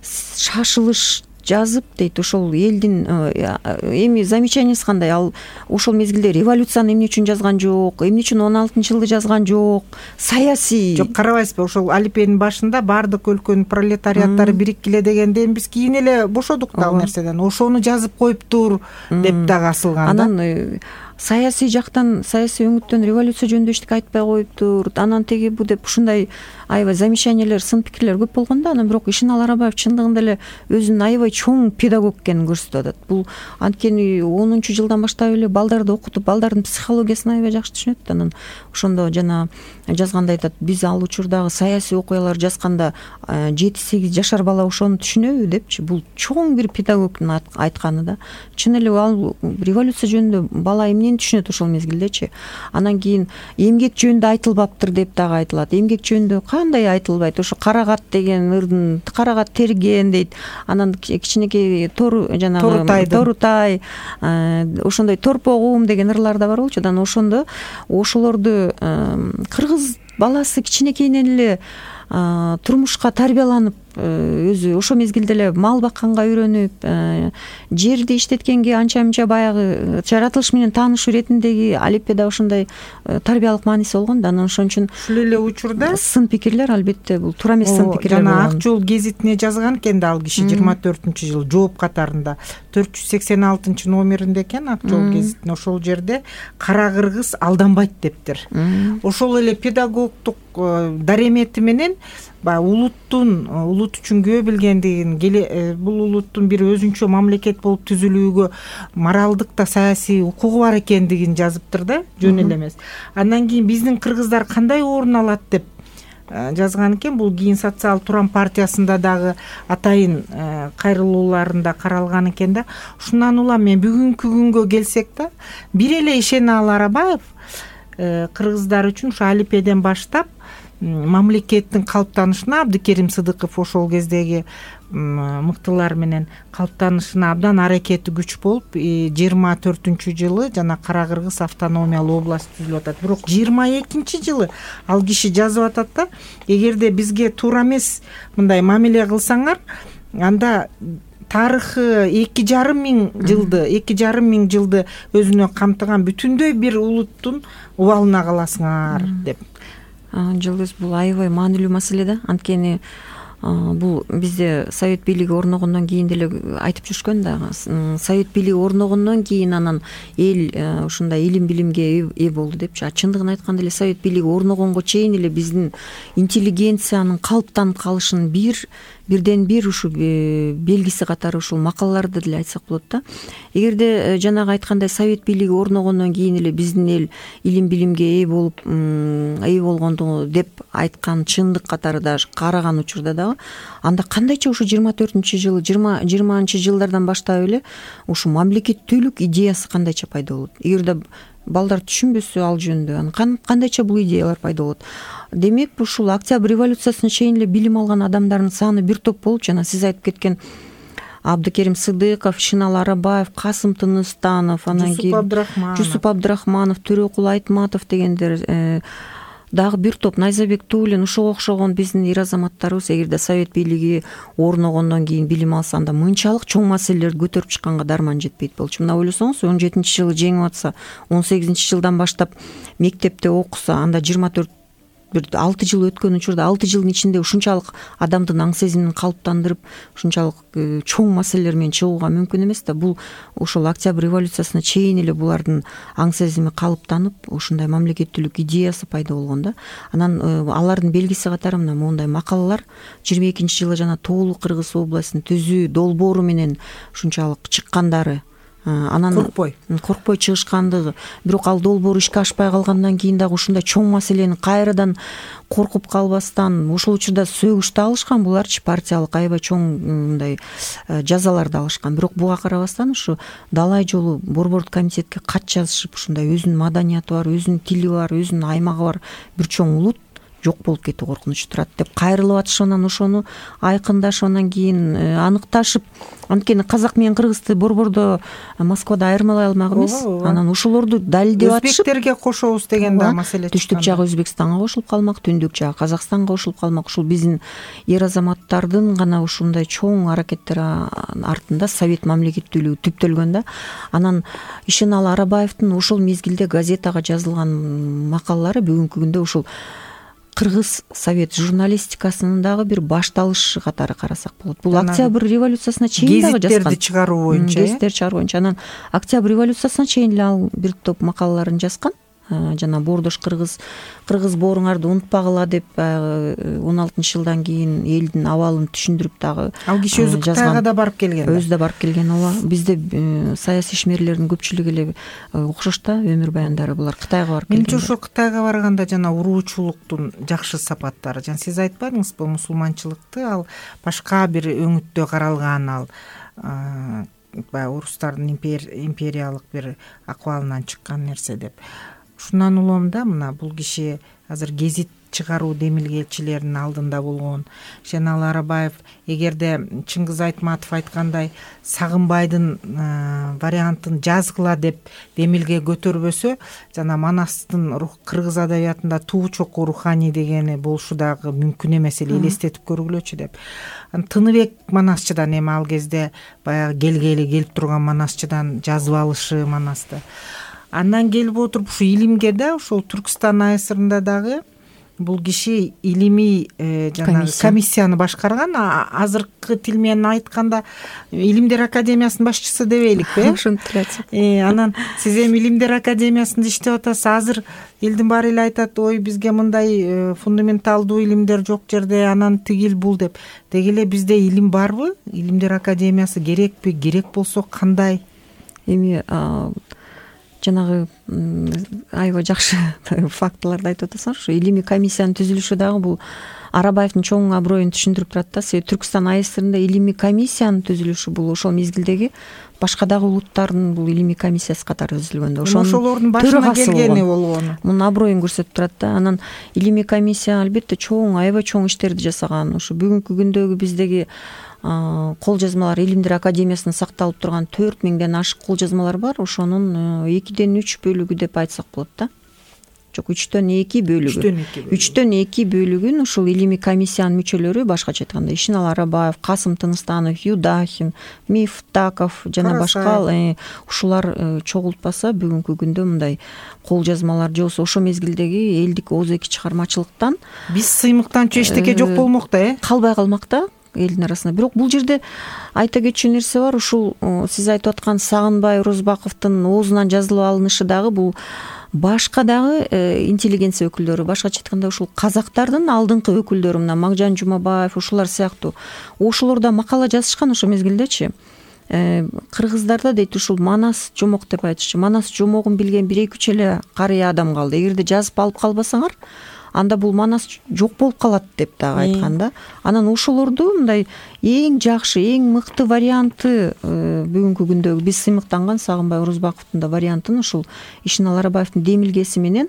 шашылыш жазып дейт, ошол элдин эми замечаниясы кандай, ал ошол мезгилде революцияны эмне үчүн жазган жок, эмне үчүн 16-жылды жазган жок, саясий. Жок, карабайсызбы, ошол Алипенин башында бардык өлкөнүн пролетариаттары бириккиле дегенден биз кийин эле бошодук да ал нерседен. Ошону жазып коюптур деп дагы асылган да. Анан саясий жактан, саясий өңүттөн революция жөнүндө эчтеке айтпай коюптур. Анан теги бу деп ушундай аябай замечаниялер, сын пикирлер көп болгон да. Анан бирок Ишинал Арабаев чындыгында эле өзүнүн аябай чоң педагог экенин көрсөтүп атат. Бул анткени 10-жылдан баштап эле балдарды окутуп, балдардын психологиясын аябай жакшы түшүнөт. Анан ошондо жана жазганда айтат, биз ал учурдагы саясий окуялар жазганда 7-8 жашар бала ошону түшүнөбү депчи. Бул чоң бир педагогдун айтканы да. Чын эле ал революция жөнүндө бала эмнени түшүнөт ошол мезгилдечи. Анан кийин эмгек жөнүндө айтылбаптыр деп дагы айтылат. Эмгек жөнүндө кандай айтылбайт? Ошо Карагат деген ырдын, Карагат терген дейт. Анан кичинекей Торутай, ошондой Торпогум деген ырлар да бар болчу. Анан ошондо ошолорду кыргыз баласы кичинекейинен эле турмушка тарбияланып өзү ошол мезгилде эле мал бакканга үйрөнүп, жерди иштеткенге анча мынча баягы жаратылыш менен тааныш иретиндеги алиппеде ошондой тарбиялык мааниси болгон да. Анан ошон үчүн ушул эле учурда сын пикирлер албетте бул туура эмес сын пикирлер жана болгон. Ак жол гезитине жазган экен да ал киши 24-жылы жооп катарында 486 номеринде экен Ак жол гезитине. Ошол жерде кара кыргыз алданбайт дептир. Ошол эле педагогдук даремети менен улут үчүн күбө билгендигин, бул улуттун бир өзүнчө мамлекет болуп түзүлүүгө моралдык да саясий укугу бар экендигин жазыптыр да, жөн эле эмес. Андан кийин биздин кыргыздар кандай орун алат деп жазган экен. Бул кийин социал турам партиясында дагы атайын кайрылууларында каралган экен да. Ушундан улам мен бүгүнкү күнгө келсек да, бир эле Ишеналы Арабаев кыргыздар үчүн ушу алипеден баштап мамлекеттин калыптанышына, Абдыкерим Сыдыков ошол кездеги мыктылар менен калыптанышына абдан аракети күч болуп, 24-жылы жана Кара Кыргыз автономиялуу область түзүлүп атат. Бирок 22-жылы ал киши жазып атат да, эгерде бизге туура эмес мындай мамиле кылсаңар, анда тарыхы 2,5 миң жылды өзүнө камтыган бүтүндөй бир улуттун убалына каласыңар деп. Жылдыз, бул аябай маанилүү маселе да. Анткени бул бизде совет бийлиги орногондон кийин деле айтып жүрүшкөн да. Совет бийлиги орногондон кийин анан эл ушундай илим билимге ээ болду депчи. Чындыгын айтканда эле совет бийлиги орногонго чейин эле биздин интеллигенциянын калыптанып калышынын бирден бир ушу белгиси катары ушул макалаларды деле айтсак болот да. Эгерде жанагы айткандай совет бийлиги орногондон кийин эле биздин эл илим билимге ээ болгонду деп айткан чындык катары даже караган учурда дагы, анда кандайча ушу 24-жылы 20-жылдардан баштап эле ушу мамлекеттүүлүк идеясы кандайча пайда болот. Эгерде балдар түшүнбөсө ал жөнүндө, анан кандайча бул идеялар пайда болот. Демек, ушул Октябрь революциясына чейин эле билим алган адамдардын саны бир топ болуп, жана сиз айтып кеткен Абдыкерим Сыдыков, Ишеналы Арабаев, Касым Тыныстанов, анан кийин Жусуп Абдрахманов, Төрөкул Айтматов дегендер, дагы бир топ Найзабек Туулин, ушуга окшогон биздин эр азаматтарыбыз эгерде совет бийлиги орногондон кийин билим алса, анда мынчалык чоң маселелерди көтөрүп чыкканга дарман жетпейт болчу. Мына ойлосоңуз, 17-жылы жеңип атса, 18-жылдан баштап мектепте окуса, анда 6 жыл өткөн учурда 6 жылдын ичинде ушунчалык адамдын аң сезимин калыптандырып, ушунчалык чоң маселелер менен чыгууга мүмкүн эмес да. Бул ошол Октябрь революциясына чейин эле булардын аң сезими калыптанып, ушундай мамлекеттүүлүк идеясы пайда болгон да. Анан алардын белгиси катары мына моундай макалалар 22-жылы жана Тоолуу Кыргыз областын түзүү долбоору менен ушунчалык чыккандары, анан коркпой чыгышкандыгы. Бирок ал долбоор ишке ашпай калгандан кийин дагы ушундай чоң маселени кайрадан коркуп калбастан, ошол учурда сөгүш да алышкан буларчы, партиялык аябай чоң мындай жазаларды алышкан. Бирок буга карабастан ушу далай жолу борбордук комитетке кат жазышып, ушундай өзүнүн маданияты бар, өзүнүн тили бар, өзүнүн аймагы бар бир чоң улут жок болуп кетүү коркунучу турат деп кайрылып атышып, анан ошону айкындашып, анан кийин аныкташып, анткени казак менен кыргызды борбордо Москвада айырмалай алмак эмес. Анан ошолорду далилдеп атышып, өзбектерге кошобуз деген да маселе чыккан. Түштүк жагы Өзбекстанга кошулуп калмак, түндүк жагы Казакстанга кошулуп калмак. Ушул биздин эр азаматтардын гана ушундай чоң аракеттери артында совет мамлекеттүүлүгү түптөлгөн да. Анан Ишеналы Арабаевдин ошол мезгилде газетага жазылган макалалары бүгүнкү күндө ушул кыргыз совет журналистикасынын дагы бир башталышы катары карасак болот. Бул Октябрь революциясына чейин дагы жазган. Гезиттерди чыгаруу боюнча. Гезиттер чыгаруу боюнча. Анан Октябрь революциясына чейин эле ал бир топ макалаларын жазган. Жана Боордош кыргыз бооруңарды унутпагыла деп 16-жылдан кийин элдин абалын түшүндүрүп дагы ал киши өзү Кытайга да барып келген. Өзү да барып келген. Ооба, бизде саясий ишмерлердин көпчүлүгү эле окшош да, өмүр баяндары булар Кытайга барып келген. Менимче ошол Кытайга барганда жана уруучулуктун жакшы сапаттары, жана сиз айтпадыңызбы, мусулманчылыкты ал башка бир өңүттө каралган, ал баягы орустардын империялык бир акыбалынан чыккан нерсе деп. ушундан улам да мына бул киши азыр гезит чыгаруу демилгечилеринин алдында болгон. Шенал Арабаев эгерде Чыңгыз Айтматов айткандай Сагынбайдын вариантын жазгыла деп демилге көтөрбөсө, жана Манастын кыргыз адабиятында туу чокуу руханий дегени болушу дагы мүмкүн эмес эле, элестетип көргүлөчү деп. Тыныбек Манасчыдан эми ал кезде баягы келгели келип турган Манасчыдан жазып алышы Манасты. Андан келип отуруп ушу илимге да ошол Түркстан АСРында дагы бул киши илимий жанагы комиссияны башкарган. Азыркы тил менен айтканда Илимдер академиясынын башчысы дебейликпи? Ошентип эле айтсак. Анан сиз эми Илимдер академиясында иштеп атасыз. Азыр элдин баары эле айтат, ой бизге мындай фундаменталдуу илимдер жок жерде, анан тигил бул деп. Деги эле бизде илим барбы? Илимдер академиясы керекпи? Керек болсо кандай? Эми жанагы аябай жакшы фактыларды айтып атасыңар. Ушу илимий комиссиянын түзүлүшү дагы бул Арабаевдин чоң аброюн түшүндүрүп турат да. Себеби Түркстан АСРында илимий комиссиянын түзүлүшү бул ошол мезгилдеги башка дагы улуттардын бул илимий комиссиясы катары түзүлгөн да. Ошолордун башына келгени болгон. Мунун аброюн көрсөтүп турат да. Анан илимий комиссия албетте аябай чоң иштерди жасаган. Ушу бүгүнкү күндөгү биздеги кол жазмалар, Илимдер академиясында сакталып турган 4000ден ашык кол жазмалар бар. Ошонун 2/3 бөлүгү деп айтсак болот да. Жок, 3/2 бөлүгү. 3/2 бөлүгүн ушул илимий комиссиянын мүчөлөрү, башкача айтканда Ишенал Арабаев, Касым Тыныстанов, Юдахин, Мифтаков жана башка ушулар чогултпаса бүгүнкү күндө мындай кол жазмалар же болбосо ошол мезгилдеги элдик ооз-эки чыгармачылыктан биз сыймыктанчу эчтеке жок болмок да, калбай калмак да элдин арасында. Бирок бул жерде айта кетчү нерсе бар. Ушул сиз айтып аткан Сагынбай Орозбаковдун оозунан жазылып алынышы дагы бул башка дагы интеллигенция өкүлдөрү, башкача айтканда ушул казактардын алдыңкы өкүлдөрү, мына Магжан Жумабаев, ушулар сыяктуу ошолор да макала жазышкан ошол мезгилдечи. Кыргыздарда дейт ушул Манас жомок деп айтышчу. Манас жомогун билген 1-2 эле карыя адам калды. Эгерде жазып алып калбасаңар, анда бул Манас жок болуп калат деп дагы айткан да. Анан ошолорду мындай эң жакшы, эң мыкты варианты бүгүнкү күндөгү биз сыймыктанган Сагынбай Орозбаковдун да вариантын ушул Ишенал Арабаевдин демилгеси менен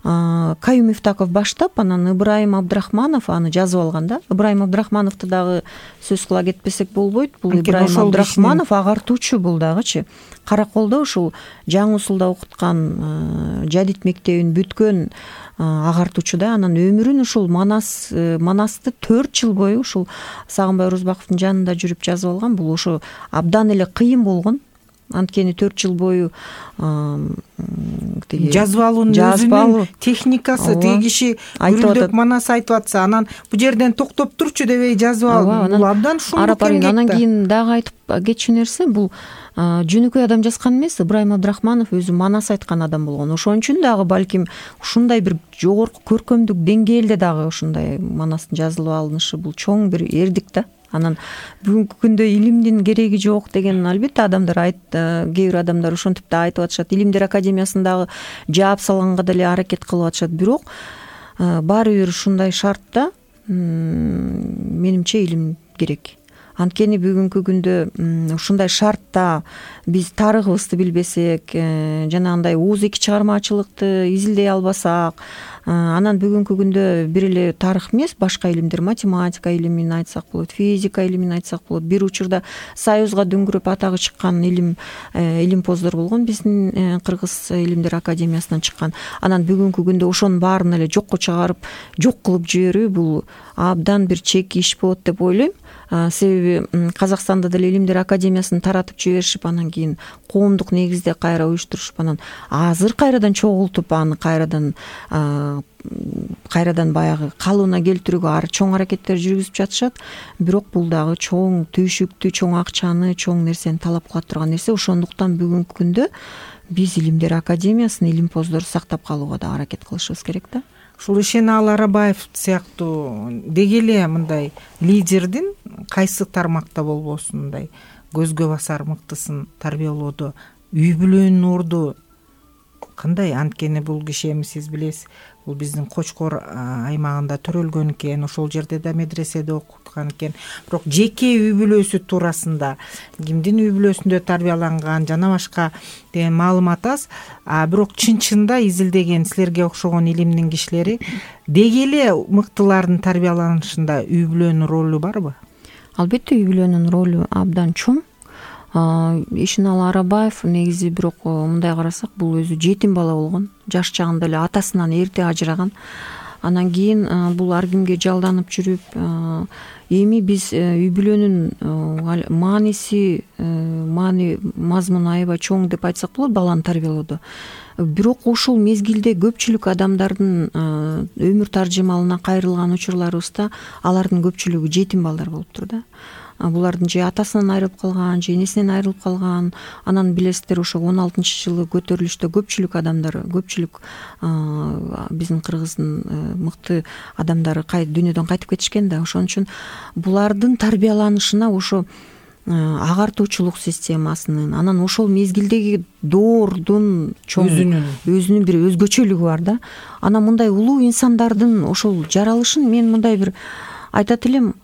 Каюм Мифтаков баштап, анан Ыбрайым Абдрахманов аны жазып алган да. Ыбрайым Абдрахмановду дагы сөз кыла кетпесек болбойт. Бул Ыбрайым Абдрахманов агартуучу бул дагычы. Караколдо ушул Жаңы Усулда окуткан жадид мектебин бүткөн агартуучу да. Анан өмүрүн ушул Манасты 4 жыл бою ушул Сагынбай Орозбаковдун жанында жүрүп жазып алган. Бул ошо абдан эле кыйын болгон. Анткени 4 жыл бою жазып алуунун өзүнүн техникасы, тиги киши гүрүлдөп Манас айтып атса, анан бу жерден токтоп турчу дебей жазып ал. Бул абдан шумдук эмгек. Анан кийин дагы айтып кетчү нерсе, бул жөнөкөй адам жазган эмес. Ыбрайым Абдрахманов өзү Манас айткан адам болгон. Ошон үчүн дагы балким ушундай бир жогорку көркөмдүк деңгээлде дагы ушундай Манастын жазылып алынышы бул чоң бир эрдик да. Анан бүгүнкү күндө илимдин кереги жок деген албетте адамдар кээ бир адамдар ошентип да айтып атышат. Илимдер академиясындагы жаап салганга деле аракет кылып атышат. Бирок баары бир ушундай шартта менимче илим керек. Анткени бүгүнкү күндө ушундай шартта биз тарыхыбызды билбесек, жанагындай ооз-эки чыгармачылыкты изилдей албасак, анан бүгүнкү күндө бир эле тарых эмес, башка илимдер, математика илимин айтсак болот, физика илимин айтсак болот. Бир учурда Союзга дөңгүрөп атагы чыккан илимпоздор болгон биздин Кыргыз Илимдер академиясынан чыккан. Анан бүгүнкү күндө ошонун баарын эле жокко чыгарып, жок кылып жиберүү бул абдан бир чек иш болот деп ойлойм. Себеби Казакстанда деле Илимдер академиясын таратып жиберишип, анан кийин коомдук негизде кайра уюштурушуп, анан азыр кайрадан чогултуп, аны кайрадан баягы калыбына келтирүүгө ар чоң аракеттер жүргүзүп жатышат. Бирок бул дагы чоң түйшүктү, чоң акчаны, чоң нерсени талап кылат турган нерсе. Ошондуктан бүгүнкү күндө биз Илимдер академиясын, илимпоздорду сактап калууга да аракет кылышыбыз керек да. Ушул Ишенал Арабаев сыяктуу деги эле мындай лидердин кайсы тармакта болбосун мындай көзгө басар мыктысын тарбиялоодо үй бүлөнүн орду кандай? Анткени бул киши, эми сиз билесиз, бул биздин Кочкор аймагында төрөлгөн экен, ошол жерде да медреседе окуткан экен. Бирок жеке үй бүлөсү туурасында, кимдин үй бүлөсүндө тарбияланган жана башка деген маалымат аз. Бирок чын-чында изилдеген силерге окшогон илимдин кишилери деги эле мыктылардын тарбияланышында үй бүлөнүн ролу барбы? Албетте, үй бүлөнүн ролу абдан чоң. Ишиналы Арабаев негизи, бирок мындай карасак, бул өзү жетим бала болгон. Жаш чагында эле атасынан эрте ажыраган. Анан кийин бул ар кимге жалданып жүрүп, эми биз үй бүлөнүн мааниси, мазмуну аябай чоң деп айтсак болот баланы тарбиялоодо. Бирок ошол мезгилде көпчүлүк адамдардын өмүр таржымалына кайрылган учурларыбызда алардын көпчүлүгү жетим балдар болуптур да. Булардын же атасынан айрылып калган, же энесинен айрылып калган. Анан билесиздер, ошо 16-жылы көтөрүлүштө көпчүлүк адамдар, көпчүлүк биздин Кыргыздын мыкты адамдары дүйнөдөн кайтып кетишкен да. Ошон үчүн булардын тарбияланышына ошо агартуучулук системасынын, анан ошол мезгилдеги доордун чоң өзүнүн бир өзгөчөлүгү бар да. Анан мындай улуу инсандардын ошол жаралышын мен мындай бир айтат элем,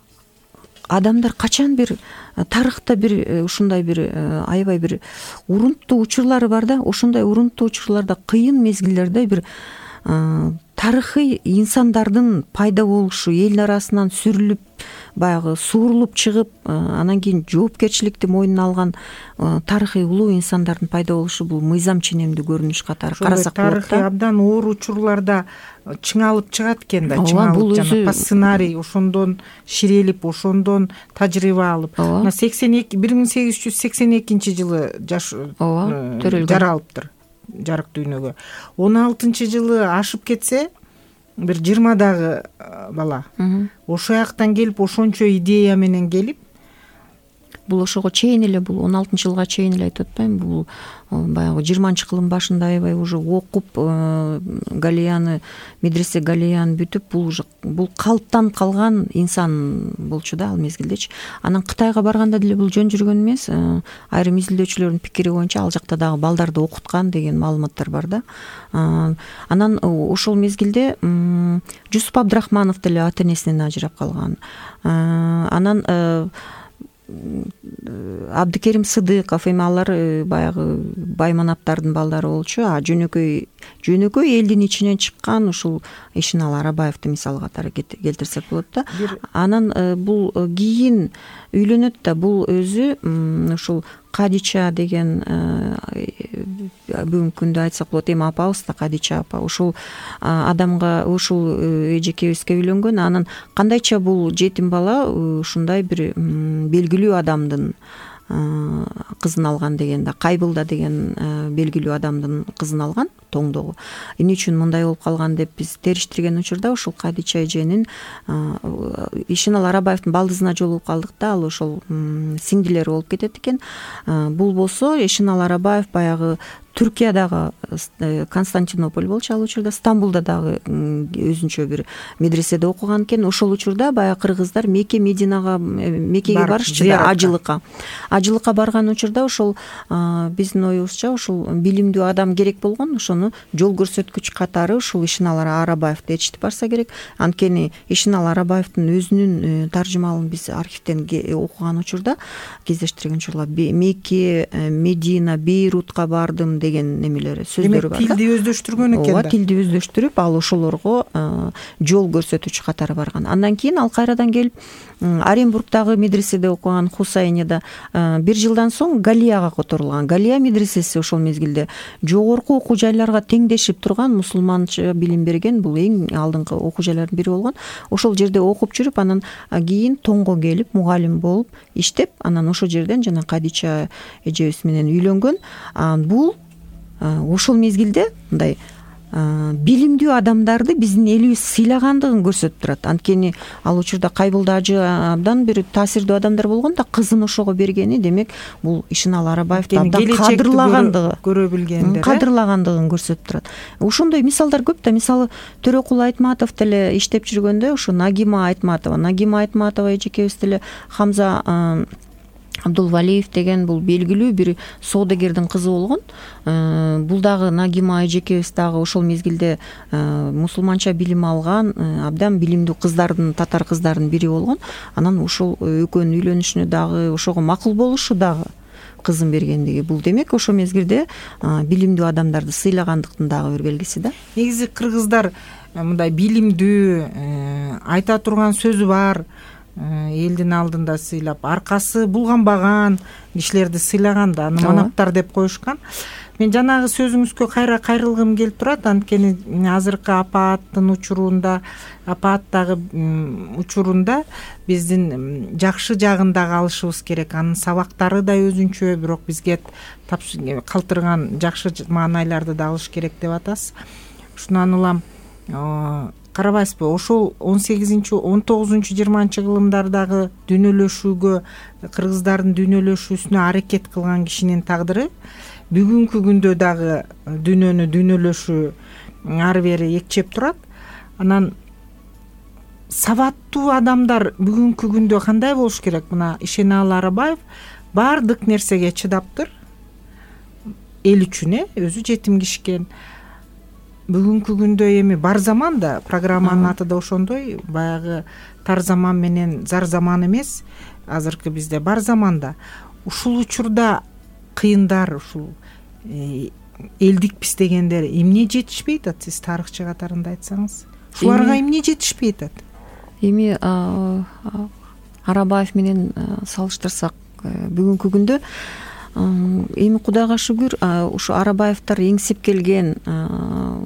адамдар качан бир тарыхта бир ушундай бир аябай бир урунттуу учурлары бар да. Ошондой урунттуу учурларда, кыйын мезгилдерде бир тарыхый инсандардын пайда болушу, эл арасынан сүрүлүп, баягы суурулуп чыгып, анан кийин жоопкерчиликти мойнуна алган тарыхый улуу инсандардын пайда болушу бул мыйзам ченемдүү көрүнүш катары карасак болот да. Тарыхый абдан оор учурларда чыңалып чыгат экен да. Чыңалып жана по сценарий ошондон ширелип, ошондон тажрыйба алып. 1882-жылы жаралыптыр жарык дүйнөгө. 16-жылы ашып кетсе, бир 20-дагы бала ошол жактан келип, ошончо идея менен келип, бул ошого чейин эле, бул 16-жылга чейин эле айтып атпайм, бул баягы 20-кылым башында аябай уже окуп, Галияны, медресе Галияны бүтүп, бул калыптанып калган инсан болчу да ал мезгилдечи. Анан Кытайга барганда деле бул жөн жүргөн эмес. Айрым изилдөөчүлөрдүн пикири боюнча ал жакта дагы балдарды окуткан деген маалыматтар бар да. Анан ошол мезгилде Жусуп Абдрахманов деле ата-энесинен ажырап калган. Анан Абдыкерим Сыдыков, эми алар баягы байманаптардын балдары болчу. Жөнөкөй элдин ичинен чыккан ушул Ишиналы Арабаевди мисал катары келтирсек болот да. Анан бул кийин үйлөнөт да, бул өзү ушул Кадича деген бүгүнкү күндө айтсак болот, эми апабыз да, Кадича апа, ушул адамга, ушул эжекебизге үйлөнгөн. Анан кандайча бул жетим бала ушундай бир белгилүү адамдын кызын алган деген да, Кайбылда деген белгилүү адамдын кызын алган тоңдогу. Эмне үчүн мындай болуп калган деп биз териштирген учурда ушул Кадича эженин Ишиналы Арабаевдин балдызына жолугуп калдык да, ал ошол сиңдилери болуп кетет экен. Бул болсо Ишиналы Арабаев баягы Түркиядагы Константинополь болчу ал учурда, Стамбулда дагы өзүнчө бир медреседе окуган экен. Ошол учурда баягы кыргыздар Меккеге барышчу да, ажылыкка барган учурда ошол биздин оюбузча ошол билимдүү адам керек болгон, ошону жол көрсөткүч катары ушул Ишиналы Арабаевди ээрчитип барса керек. Анткени Ишиналы Арабаевдин өзүнүн таржымалын биз архивден окуган учурда, кездештирген учурда Мекке, Медина, Бейрутка бардым деген немелери, сөздөрү бар да. Тилди өздөштүргөн экен да. Тилди өздөштүрүп, ал ошолорго жол көрсөтүүчү катары барган. Андан кийин ал кайрадан келип Оренбургдагы медреседе окуган, Хусайнияда. Бир жылдан соң Галияга которулган. Галия медресеси ошол мезгилде жогорку окуу жайларга теңдешип турган, мусулманча билим берген, бул эң алдыңкы окуу жайлардын бири болгон. Ошол жерде окуп жүрүп, анан кийин Тоңго келип, мугалим болуп иштеп, анан ошол жерден жана Кадича эжебиз менен үйлөнгөн. Бул ошол мезгилде мындай билимдүү адамдарды биздин элибиз сыйлагандыгын көрсөтүп турат. Анткени ал учурда Кайбылда ажы абдан бир таасирдүү адамдар болгон да, кызын ошого бергени демек бул Ишиналы Арабаевди абдан кадырлагандыгын көрсөтүп турат. Ошондой мисалдар көп да. Мисалы Төрөкул Айтматов деле иштеп жүргөндө ошо Нагима Айтматова эжекебиз деле Хамза Абдулвалиев деген бул белгилүү бир соодагердин кызы болгон. Бул дагы Нагима эжекебиз дагы ошол мезгилде мусулманча билим алган абдан билимдүү кыздардын, татар кыздарынын бири болгон. Анан ошол экөөнүн үйлөнүшүнө дагы ошого макул болушу дагы кызын бергендиги бул демек ошол мезгилде билимдүү адамдарды сыйлагандыктын дагы бир белгиси да. Негизи кыргыздар мындай билимдүү, айта турган сөзү бар, элдин алдында сыйлап, аркасы булганбаган кишилерди сыйлаган да, аны манаптар деп коюшкан. Мен жанагы сөзүңүзгө кайра кайрылгым келип турат, анткени азыркы апааттын учурунда, апааттагы учурунда биздин жакшы жагын дагы алышыбыз керек. Анын сабактары да өзүнчө, бирок бизге калтырган жакшы маанайларды да алыш керек деп атасыз. Ушунан улам карабайсызбы, ошол 18-19-20 кылымдардагы дүйнөлөшүүгө, кыргыздардын дүйнөлөшүүсүнө аракет кылган кишинин тагдыры бүгүнкү күндө дагы дүйнөнү дүйнөлөшүү ары бери экчеп турат. Анан сабаттуу адамдар бүгүнкү күндө кандай болуш керек? Мына Ишеналы Арабаев баардык нерсеге чыдаптыр, эл үчүн өзү жетимгишкен. Бүгүнкү күндө эми бар заман да, программанын аты да ошондой, баягы тар заман менен зар заман эмес, азыркы бизде бар заманда. Ушул учурда кыйындар, ушул элдик пистегендер эмне жетишпей атат, сиз тарыхчы катарында айтсаңыз? Ушуларга эмне жетишпей атат? Эми Арабаев менен салыштырсак, бүгүнкү күндө эми Кудайга шүгүр, ушу Арабаевтар эңсеп келген,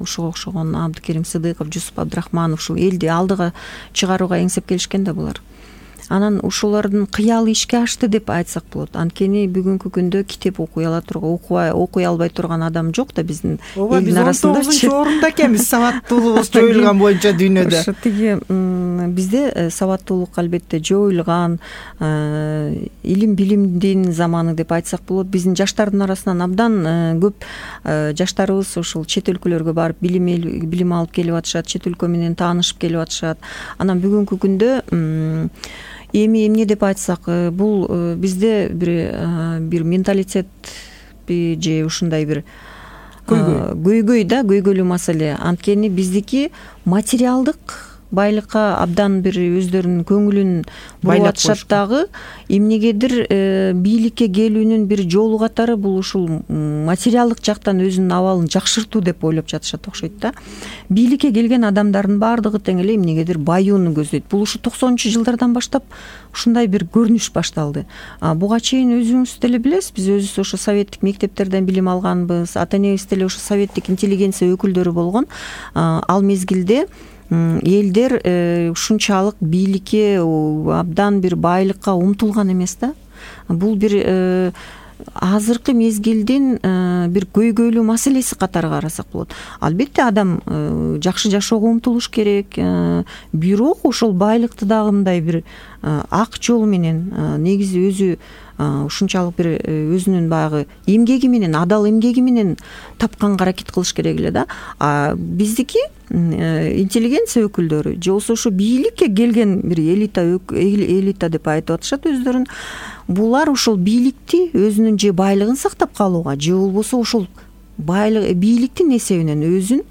ушуга окшогон Абдыкерим Сыдыков, Жусуп Абдрахманов ушул элди алдыга чыгарууга эңсеп келишкен да булар. Анан ушулардын кыялы ишке ашты деп айтсак болот. Анткени бүгүнкү күндө китеп окуй албай турган адам жок да биздин элдин арасында. Биз 19-орунда экенбиз сабаттуулугубуз жоюлган боюнча дүйнөдө. Ошо тиги бизде сабаттуулук албетте жоюлган, илим билимдин заманы деп айтсак болот. Биздин жаштардын арасынан абдан көп жаштарыбыз ушул чет өлкөлөргө барып билим алып келип атышат, чет өлкө менен таанышып келип атышат. Анан бүгүнкү күндө эми эмне деп айтсак, бул бизде бир менталитетпи же ушундай бир көйгөйлүү маселе. Анткени биздики материалдык байлыкка абдан бир өздөрүнүн көңүлүн буруп атышат дагы. Эмнегедир бийликке келүүнүн бир жолу катары бул ушул материалдык жактан өзүнүн абалын жакшыртуу деп ойлоп жатышат окшойт да. Бийликке келген адамдардын баардыгы тең эле эмнегедир баюуну көздөйт. Бул ушу 90-жылдардан баштап ушундай бир көрүнүш башталды. Буга чейин өзүңүз деле билесиз, биз өзүбүз ошо советтик мектептерден билим алганбыз, ата энебиз деле ошо советтик интеллигенция өкүлдөрү болгон. Ал мезгилде элдер ушунчалык бийликке, абдан бир байлыкка умтулган эмес да. Бул бир азыркы мезгилдин бир көйгөйлүү маселеси катары карасак болот. Албетте адам жакшы жашоого умтулуш керек, бирок ошол байлыкты дагы мындай бир ак жол менен, негизи өзү ушунчалык бир өзүнүн баягы эмгеги менен, адал эмгеги менен тапканга аракет кылыш керек эле да. Биздики интеллигенция өкүлдөрү же болбосо ошо бийликке келген бир элита деп айтып атышат өздөрүн. Булар ошол бийликти өзүнүн же байлыгын сактап калууга, же болбосо ошол бийликтин эсебинен өзүн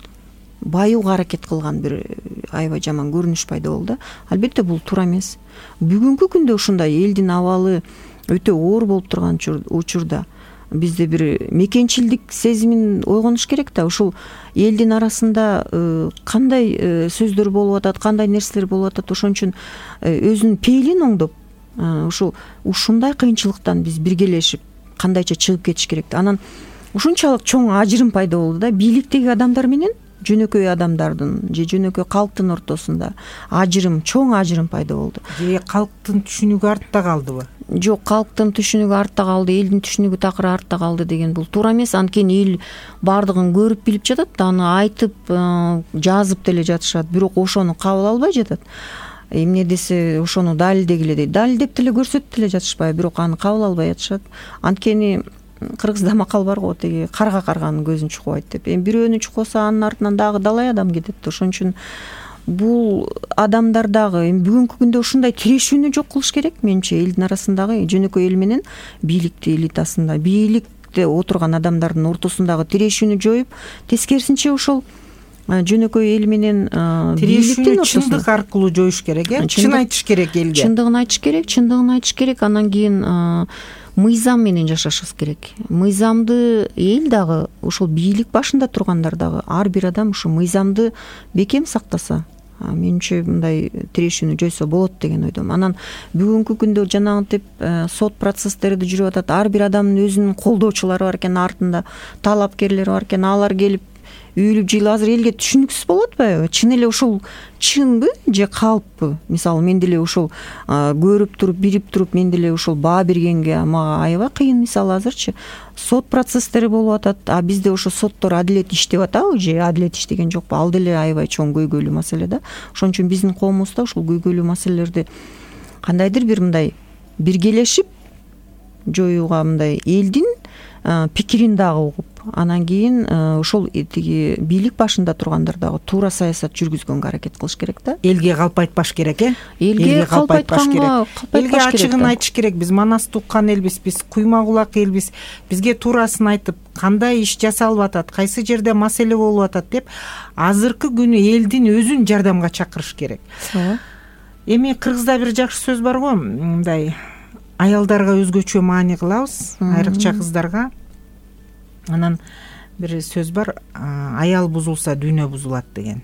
баюуга аракет кылган бир аябай жаман көрүнүш пайда болду. Албетте бул туура эмес. Бүгүнкү күндө ушундай элдин абалы өтө оор болуп турган учурда бизде бир мекенчилдик сезимин ойгонуш керек да. Ушул элдин арасында кандай сөздөр болуп атат, кандай нерселер болуп атат, ошон үчүн өзүнүн пейлин оңдоп, ушундай кыйынчылыктан биз биргелешип кандайча чыгып кетиш керек. Анан ушунчалык чоң ажырым пайда болду да, бийликтеги адамдар менен жөнөкөй адамдардын же жөнөкөй калктын ортосунда чоң ажырым пайда болду. Же калктын түшүнүгү артта калдыбы? Жок, калктын түшүнүгү артта калды, элдин түшүнүгү такыр артта калды деген бул туура эмес. Анткени эл баардыгын көрүп билип жатат, аны айтып, жазып деле жатышат, бирок ошону кабыл албай жатат. Эмне десе ошону далилдегиле дейт. Далилдеп деле көрсөтүп деле жатышпайбы, бирок аны кабыл албай жатышат. Анткени кыргызда макал бар го, тиги карга карганын көзүн чукубайт деп. Эми бирөөнү чукпаса анын артынан дагы далай адам кетет. Ошон үчүн бул адамдар дагы эми бүгүнкү күндө ушундай тирешүүнү жок кылыш керек менимче. Элдин арасындагы жөнөкөй эл менен бийликти элитасында, бийликте отурган адамдардын ортосундагы тирешүүнү жоюп, тескерисинче ошол жөнөкөй эл менен тирешүүнү чындык аркылуу жоюш керек, чын айтыш керек элге. Чындыгын айтыш керек. Анан кийин мыйзам менен жашашыбыз керек. Мыйзамды эл дагы, ошол бийлик башында тургандар дагы, ар бир адам ушу мыйзамды бекем сактаса, менимче мындай тирешүүнү жойсо болот деген ойдомун. Анан бүгүнкү күндө жанагынтип сот процесстерди жүрүп атат. Ар бир адамдын өзүнүн колдоочулары бар экен, артында талапкерлери бар экен. Алар келип үйлүп жыйылып, азыр элге түшүнүксүз болуп атпайбы? Чын эле ушул чынбы же калппы? Мисалы мен деле ушул көрүп туруп, бирип туруп, мен деле ушул баа бергенге мага аябай кыйын. Мисалы азырчы сот процесстери болуп атат, а бизде ошо соттор адилет иштеп атабы же адилет иштеген жокпу? Ал деле аябай чоң көйгөйлүү маселе да. Ошон үчүн биздин коомубузда ушул көйгөйлүү маселелерди кандайдыр бир мындай биргелешип жоюуга, мындай элдин пикирин дагы угуп, анан кийин ошол тиги бийлик башында тургандар дагы туура саясат жүргүзгөнгө аракет кылыш керек да. Элге калп айтпаш керек, элге калп айтпаш керек. Элге ачыгын айтыш керек. Биз манасты уккан элбиз, биз куйма кулак элбиз. Бизге туурасын айтып, кандай иш жасалып атат, кайсы жерде маселе болуп атат деп азыркы күнү элдин өзүн жардамга чакырыш керек. Эми кыргызда бир жакшы сөз бар го, мындай аялдарга өзгөчө маани кылабыз, айрыкча кыздарга. Анан бир сөз бар, аял бузулса дүйнө бузулат деген.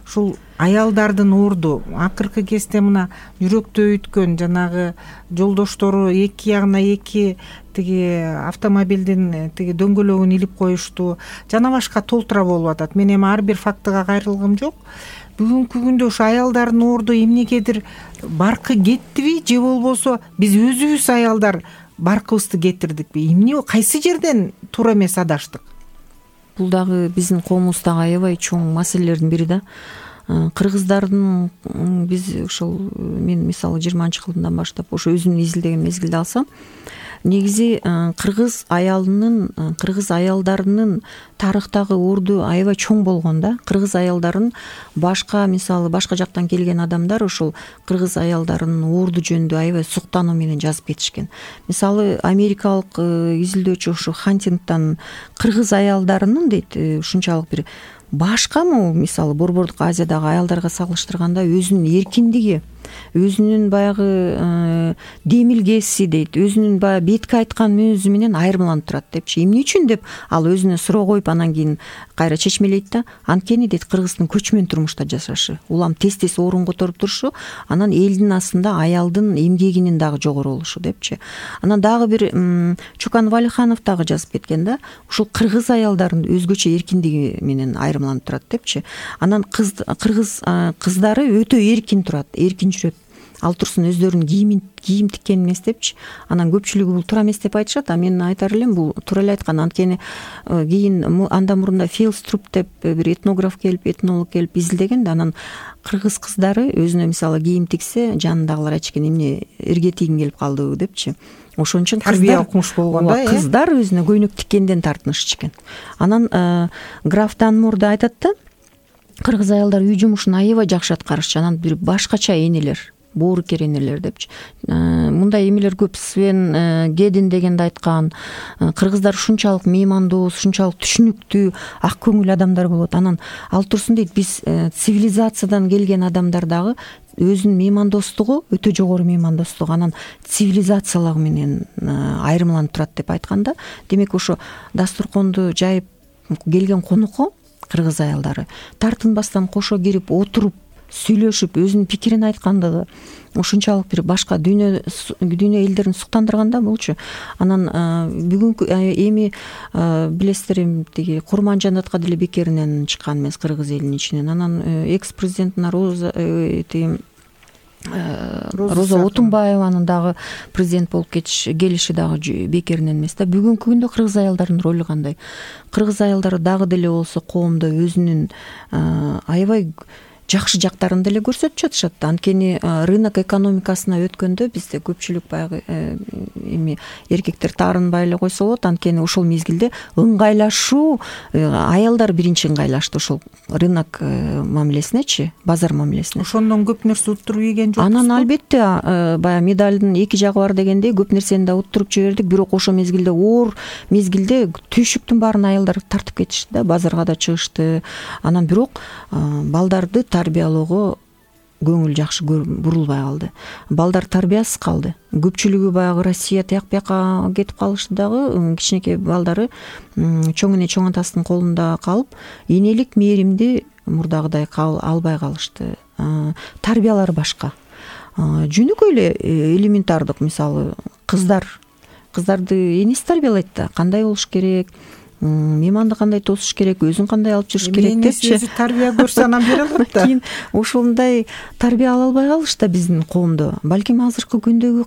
Ушул аялдардын орду акыркы кезде мына жүрөктө өйткөн жанагы жолдоштору эки ягына эки тиги автомобилдин тиги дөңгөлөгүн илип коюшту, жана башка толтура болуп атат. Мен эми ар бир фактыга кайрылгым жок. Бүгүнкү күндө ушу аялдардын орду эмнегедир баркы кеттиби же болбосо биз өзүбүз аялдар баркыбызды кетирдикпи? Эмне, кайсы жерден туура эмес адаштык? Бул дагы биздин коомубуздагы аябай чоң маселелердин бири да. Кыргыздардын биз ошол мен мисалы 20-жылдан баштап ошо өзүмдүн изилдеген мезгилде алсам, негизи кыргыз аялдарынын тарыхтагы орду аябай чоң болгон да. Кыргыз аялдарын мисалы башка жактан келген адамдар ошол кыргыз аялдарынын орду жөнүндө аябай суктануу менен жазып кетишкен. Мисалы америкалык изилдөөчү ошо Хантингтон кыргыз аялдарынын дейт ушунчалык бир башкамы, мисалы Борбордук Азиядагы аялдарга салыштырганда өзүнүн эркиндиги, өзүнүн баягы демилгеси дейт, өзүнүн баягы бетке айткан мүнөзү менен айырмаланып турат депчи. Эмне үчүн деп ал өзүнө суроо коюп анан кийин кайра чечмелейт да. Анткени дейт кыргыздын көчмөн турмушта жашашы, улам тез орун которуп турушу, анан элдин астында аялдын эмгегинин дагы жогору болушу депчи. Анан дагы бир Чукан Валиханов дагы жазып кеткен да. Ушул кыргыз аялдарын өзгөчө эркиндиги менен айырмаланып турат депчи. Анан кыргыз кыздары өтө эркин турат, эркин жүрөт. Ал турсун өздөрүнүн кийим тиккен эмес депчи. Анан көпчүлүгү бул туура эмес деп айтышат, а мен айтар элем бул туура эле айткан. Анткени кийин андан мурунда Филструп деп бир этнолог келип изилдеген да. Анан кыргыз кыздары өзүнө мисалы кийим тиксе, жанындагылар айтышкен, эмне эрге тийгиң келип калдыбы депчи. Ошон үчүн тарбия окумуш болгон да, кыздар өзүнө көйнөк тиккенден тартынышчу экен. Анан граф Данмур да айтат да, кыргыз аялдар үй жумушун аябай жакшы аткарышчу. Анан бир башкача энелер, боорукер энелер депчи. Мындай эмелер көп. Свен Гедин дегенди айткан, кыргыздар ушунчалык меймандоос, ушунчалык түшүнүктүү, ак көңүл адамдар болот. Анан ал турсун дейт, биз цивилизациядан келген адамдар дагы өзүнүн меймандостугу өтө жогору меймандостук, анан цивилизациялыгы менен айырмаланып турат деп айтканда. Демек ошо дасторконду жайып келген конокко кыргыз аялдары тартынбастан кошо кирип отуруп сүйлөшүп өзүнүн пикирин айткандыгы ушунчалык бир башка дүйнө элдерин суктандырганда болчу. Анан бүгүнкү эми билесиздер, эми тиги Курманжанатка деле бекеринен чыккан эмес кыргыз элинин ичинен. Анан экс-президентина Роза Отунбаеванын дагы президент болуп келиши дагы бекеринен эмес да. Бүгүнкү күндө кыргыз аялдарынын ролу кандай? Кыргыз аялдары дагы деле болсо коомдо өзүнүн аябай жакшы жактарын деле көрсөтүп жатышат. Анткени рынок экономикасына өткөндө бизде көпчүлүк баягы эми эркектер таарынбай эле койсо болот. Анткени ошол мезгилде ыңгайлашуу, аялдар биринчи ыңгайлашты ошол рынок мамилесинечи, базар мамилесине. Ошондон көп нерсе уттуруп ийген жокпуз. Анан албетте баягы медалдын эки жагы бар дегендей көп нерсени да уттуруп жибердик. Бирок ошол мезгилде оор мезгилде түйшүктүн баарын аялдар тартып кетишти да, базарга да чыгышты. Анан бирок балдарды тарбиялоого көңүл жакшы бурулбай калды. Балдар тарбиясыз калды. Көпчүлүгү баягы Россия тияк-бияка кетип калышты дагы. Кичинекей балдары чоң эне чоң атасынын колунда калып, энелик мээримди мурдагыдай албай калышты. Тарбиялары башка. Жөнөкөй эле элементардык, мисалы кыздарды энеси тарбиялайт да, кандай болуш керек, мейманды кандай тосуш керек, өзүн кандай алып жүрүш керек депчи. Өзү тарбия көрсө анан бере алат да. Кийин ошондой тарбия ала албай калышты биздин коомдо. Балким азыркы күндөгү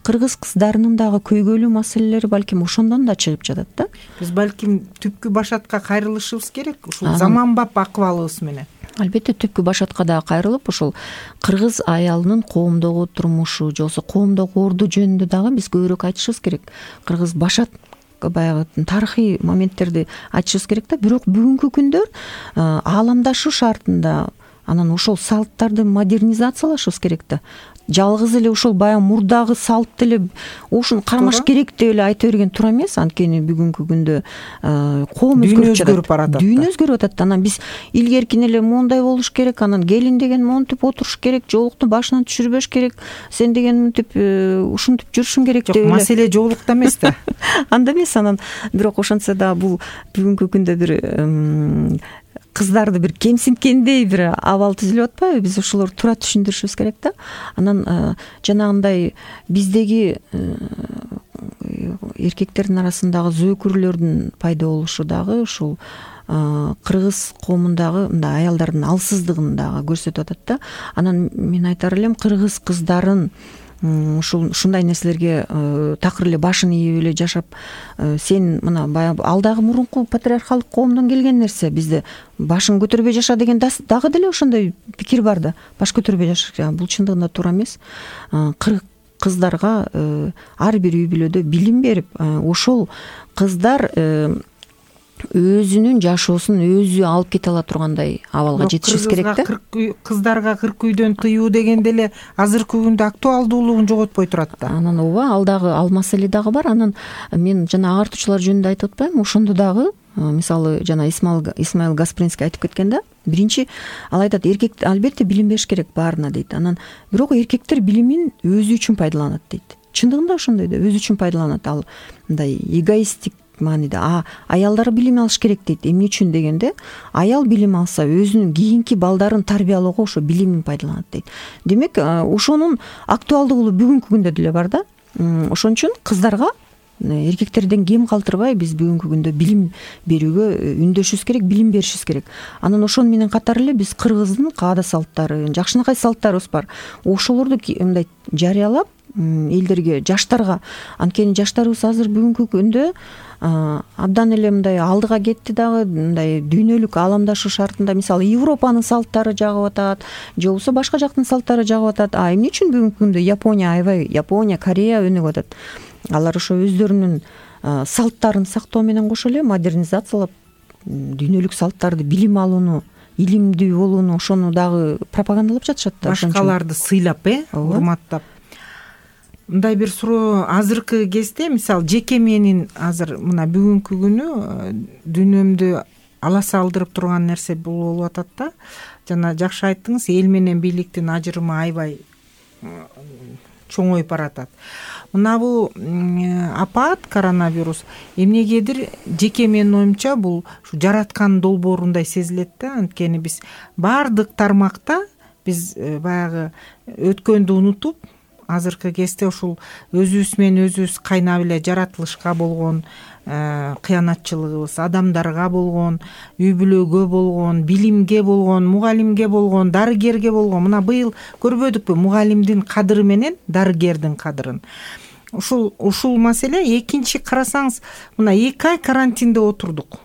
кыргыз кыздарынын дагы көйгөйлүү маселелери балким ошондон да чыгып жатат да. Биз балким түпкү башатка кайрылышыбыз керек, ушул заманбап акыбалыбыз менен. Албетте түпкү башатка дагы кайрылып, ошол кыргыз аялынын коомдогу турмушу, же болбосо коомдогу орду жөнүндө дагы биз көбүрөөк айтышыбыз керек. Кыргыз башат баягы тарыхый моменттерди айтышыбыз керек да. Бирок бүгүнкү күндө ааламдашуу шартында анан ошол салттарды модернизациялашыбыз керек да. Жалгыз эле ушул баягы мурдагы салтты эле ушуну кармаш керек деп эле айта берген туура эмес. Анткени бүгүнкү күндө коом өзгөрүп баратат. Дүйнө өзгөрүп атат. Анан биз илгеркин эле моундай болуш керек, анан келин деген монтип отуруш керек, жоолукту башынан түшүрбөш керек, сен деген мынтип ушинтип жүрүшүң керек деп эле. Жок, маселе жоолукта эмес да. Анда эмес. Анан бирок ошентсе да бул бүгүнкү күндө бир кыздарды бир кемсинткендей бир абал түзүлүп атпайбы? Биз ошолорду туура түшүндүрүшүбүз керек да. Анан жанагындай биздеги эркектердин арасындагы зөөкүрлөрдүн пайда болушу дагы ушул кыргыз коомундагы мындай аялдардын алсыздыгын дагы көрсөтүп атат да. Анан мен айтар элем, кыргыз кыздарын ушундай нерселерге такыр эле башын ийип эле жашап, сен мына баягы алдагы мурунку патриархалдык коомдон келген нерсе, бизде башын көтөрбөй жаша деген дагы деле ошондой пикир бар да. Баш көтөрбөй жаша, бул чындыгында туура эмес. Кыздарга ар бир үй бүлөдө билим берип, ошол кыздар өзүнүн жашоосун өзү алып кете ала тургандай абалга жетишибиз керек да. Кыздарга 40 үйдөн тыюу деген деле азыркы күндө актуалдуулугун жоготпой турат да. Анан ооба, ал маселе дагы бар. Анан мен жана агартуучулар жөнүндө айтып атпаймынбы? Ошондо дагы мисалы жана Исмаил Гаспринский айтып кеткен да. Биринчи ал айтат, эркек албетте билим бериш керек баарына дейт. Анан бирок эркектер билимин өзү үчүн пайдаланат дейт. Чындыгында ошондой да, өзү үчүн пайдаланат. Ал мындай эгоисттик мааниде. Аялдар билим алыш керек дейт. Эмне үчүн дегенде, аял билим алса өзүнүн кийинки балдарын тарбиялоого ошо билимин пайдаланат дейт. Демек, ошонун актуалдуулугу бүгүнкү күндө деле бар да. Ошон үчүн кыздарга эркектерден кем калтырбай биз бүгүнкү күндө билим берүүгө үндөшүбүз керек, билим беришибиз керек. Анан ошону менен катар эле биз кыргыздын каада салттары, жакшынакай салттарыбыз бар. Ошолорду мындай жарыялап элдерге, жаштарга, анткени жаштарыбыз азыр бүгүнкү күндө абдан эле мындай алдыга кетти дагы, мындай дүйнөлүк ааламдашуу шартында, мисалы Европанын салттары жагып атат, же болбосо башка жактын салттары жагып атат. Эмне үчүн бүгүнкү күндө Япония, Корея өнүгүп атат? Алар ошо өздөрүнүн салттарын сактоо менен кошо эле модернизациялап, дүйнөлүк салттарды, билим алууну, илимдүү болууну, ошону дагы пропагандалап жатышат да. Башкаларды сыйлап, урматтап. Мындай бир суроо, азыркы кезде мисалы жеке менин азыр мына бүгүнкү күнү дүйнөмдү аласа алдырып турган нерсе бул болуп атат да. Жана жакшы айттыңыз, эл менен бийликтин ажырымы аябай чоңоюп баратат. Мына бул апат, коронавирус эмнегедир жеке менин оюмча бул жараткан долбоорундай сезилет да. Анткени биз баардык тармакта биз баягы өткөндү унутуп, азыркы кезде ушул өзүбүз менен өзүбүз кайнап эле жаратылышка болгон кыянатчылыгыбыз, адамдарга болгон, үй бүлөгө болгон, билимге болгон, мугалимге болгон, дарыгерге болгон. Мына быйыл көрбөдүкпү мугалимдин кадыры менен дарыгердин кадырын? Ушул маселе. Экинчи карасаңыз, мына 2 ай карантинде отурдук.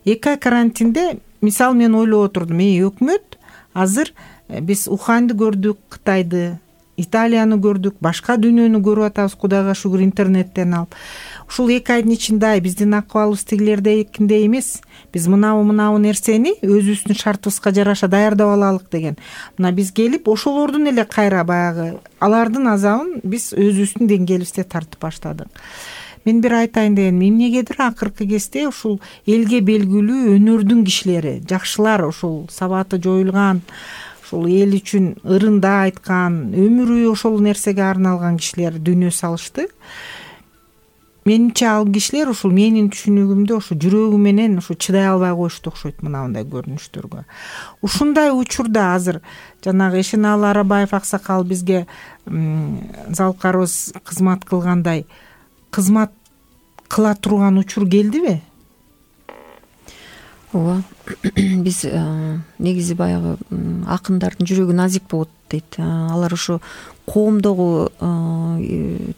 2 ай карантинде мисалы мен ойлоп отурдум, өкмөт азыр биз Уханьды көрдүк, Кытайды, Италияны көрдүк, башка дүйнөнү көрүп атабыз, Кудайга шүгүр, интернеттен алып. Ушул 2 айдын ичинде биздин акыбалыбыз тигилердекиндей эмес. Биз мынабу нерсени өзүбүздүн шартыбызга жараша даярдап алалык деген. Мына биз келип ошолордун эле кайра баягы алардын азабын биз өзүбүздүн деңгээлибизде тартып баштадык. Мен бир айтайын дегеним, эмнегедир акыркы кезде ушул элге белгилүү өнөрдүн кишилери, жакшылар, ушул сабаты жоюлган, ушул эл үчүн ырында айткан, өмүрү ошол нерсеге арналган кишилер дүйнө салышты. Менимче ал кишилер ушул менин түшүнүгүмдө ушу жүрөгү менен ушу чыдай албай коюшту окшойт мындай көрүнүштөргө. Ушундай учурда азыр жанагы Эшеналы Арабаев аксакал бизге залкарыбыз кызмат кылгандай кызмат кыла турган учур келдиби? Ооба. Биз негизи баягы акындардын жүрөгү назик болот дейт. Алар ошо коомдогу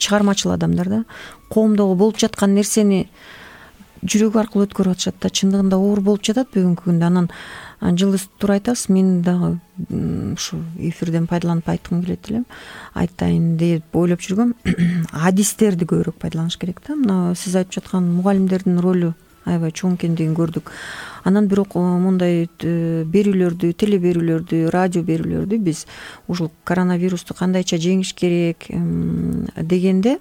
чыгармачыл адамдар да, коомдогу болуп жаткан нерсени жүрөгү аркылуу өткөрүп атышат да, чындыгында оор болуп жатат бүгүнкү күндө. Анан жылы туура айтасыз, мен дагы ушу эфирден пайдаланып айткым келет элем, айтайын деп ойлоп жүргөм. Адистерди көбүрөөк пайдаланыш керек да. Мына сиз айтып жаткан мугалимдердин ролу аябай чоң экендигин көрдүк. Анан бирок мындай берүүлөрдү, теле берүүлөрдү, радио берүүлөрдү биз ушул коронавирусту кандайча жеңиш керек дегенде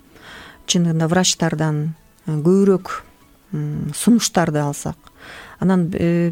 чындыгында врачтардан көбүрөөк сунуштарды алсак. Анан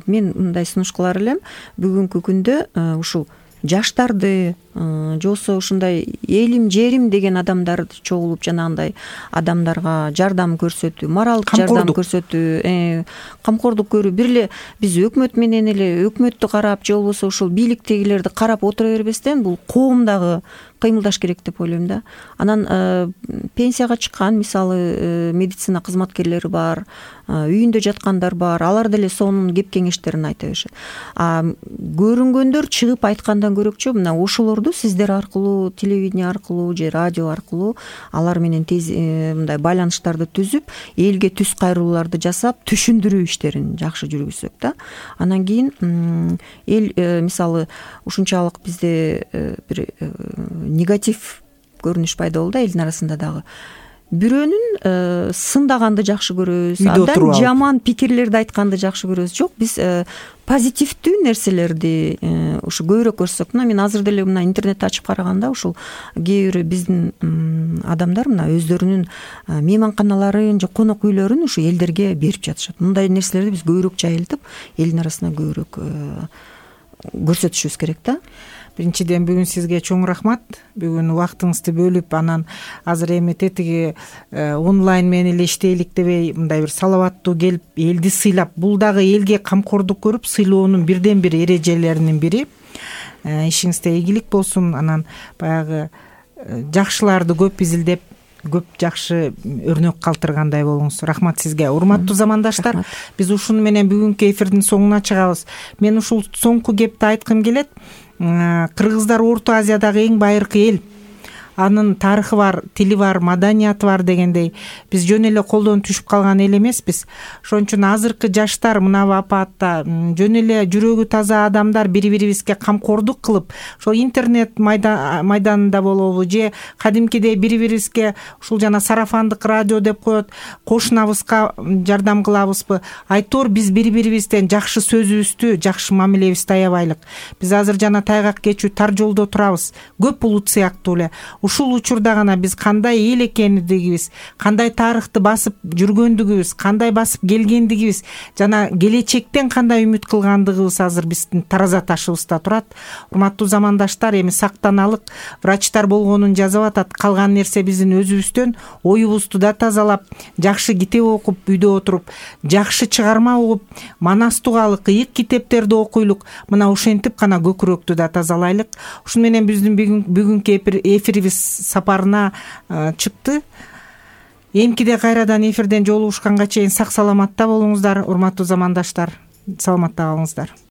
мен мындай сунуш кылар элем, бүгүнкү күндө ушул жаштарды же болбосо ушундай элим жерим деген адамдар чогулуп жанагындай адамдарга жардам көрсөтүү, моралдык жардам көрсөтүү, камкордук көрүү. Бир эле биз өкмөт менен эле өкмөттү карап же болбосо ушул бийликтегилерди карап отура бербестен бул коом дагы кыймылдаш керек деп ойлойм да. Анан пенсияга чыккан мисалы медицина кызматкерлери бар, үйүндө жаткандар бар, алар деле сонун кеп кеңештерин айта беришет. Көрүнгөндөр чыгып айткандан көрөкчү мына ошолорду сиздер аркылуу, телевидение аркылуу же радио аркылуу алар менен тез мындай байланыштарды түзүп, элге түз кайрылууларды жасап, түшүндүрүү иштерин жакшы жүргүзсөк да. Анан кийин эл мисалы ушунчалык бизде бир негатив көрүнүш пайда болду элдин арасында дагы. Бирөөнүн сындаганды жакшы көрөбүз, абдан жаман пикирлерди айтканды жакшы көрөбүз. Жок, биз позитивдүү нерселерди ушу көбүрөөк көрсөк. Мына мен азыр деле мына интернетти ачып караганда ушул кээ бир биздин адамдар мына өздөрүнүн мейманканаларын же конок үйлөрүн ушу элдерге берип жатышат. Мындай нерселерди биз көбүрөөк жайылтып, элдин арасына көбүрөөк көрсөтүшүбүз керек да. Биринчиден бүгүн сизге чоң рахмат. Бүгүн убактыңызды бөлүп, анан азыр эми тетиги онлайн менен эле иштейлик дебей мындай бир салаваттуу келип, элди сыйлап, бул дагы элге камкордук көрүп сыйлоонун бирден бир эрежелеринин бири. Ишиңизде ийгилик болсун. Анан баягы жакшыларды көп изилдеп, көп жакшы өрнөк калтыргандай болуңуз. Рахмат сизге. Урматтуу замандаштар, биз ушуну менен бүгүнкү эфирдин соңуна чыгабыз. Мен ушул соңку кепти айткым келет. Кыргыздар Орто Азиядагы эң байыркы эл. Анын тарыхы бар, тили бар, маданияты бар дегендей биз жөн эле колдон түшүп калган эл эмеспиз. Ошон үчүн азыркы жаштар мына апаатта жөн эле жүрөгү таза адамдар бири-бирибизге камкордук кылып, ошол интернет майданында болобу же кадимкидей бири-бирибизге ушул жана сарафандык радио деп коет, кошунабызга жардам кылабызбы? Айтор биз бири-бирибизден жакшы сөзүбүздү, жакшы мамилебизди аябайлык. Биз азыр жана тайгак кечүү тар жолдо турабыз. Көп булут сыяктуу эле. Ушул учурда гана биз кандай эл экендигибиз, кандай тарыхты басып жүргөндүгүбүз, кандай басып келгендигибиз жана келечектен кандай үмүт кылгандыгыбыз азыр биздин тараза ташыбызда турат. Урматтуу замандаштар, эми сактаналык. Врачтар болгонун жазып атат. Калган нерсе биздин өзүбүздөн. Оюбузду да тазалап, жакшы китеп окуп, үйдө отуруп, жакшы чыгарма угуп, манас тугалык, ыйык китептерди окуйлук. Мына ошентип гана көкүрөктү да тазалайлык. Ушуну менен биздин бүгүнкү эфирибиз сапарына чыкты. Эмкиде кайрадан эфирден жолугушканга чейин сак саламатта болуңуздар, урматтуу замандаштар. Саламатта калыңыздар.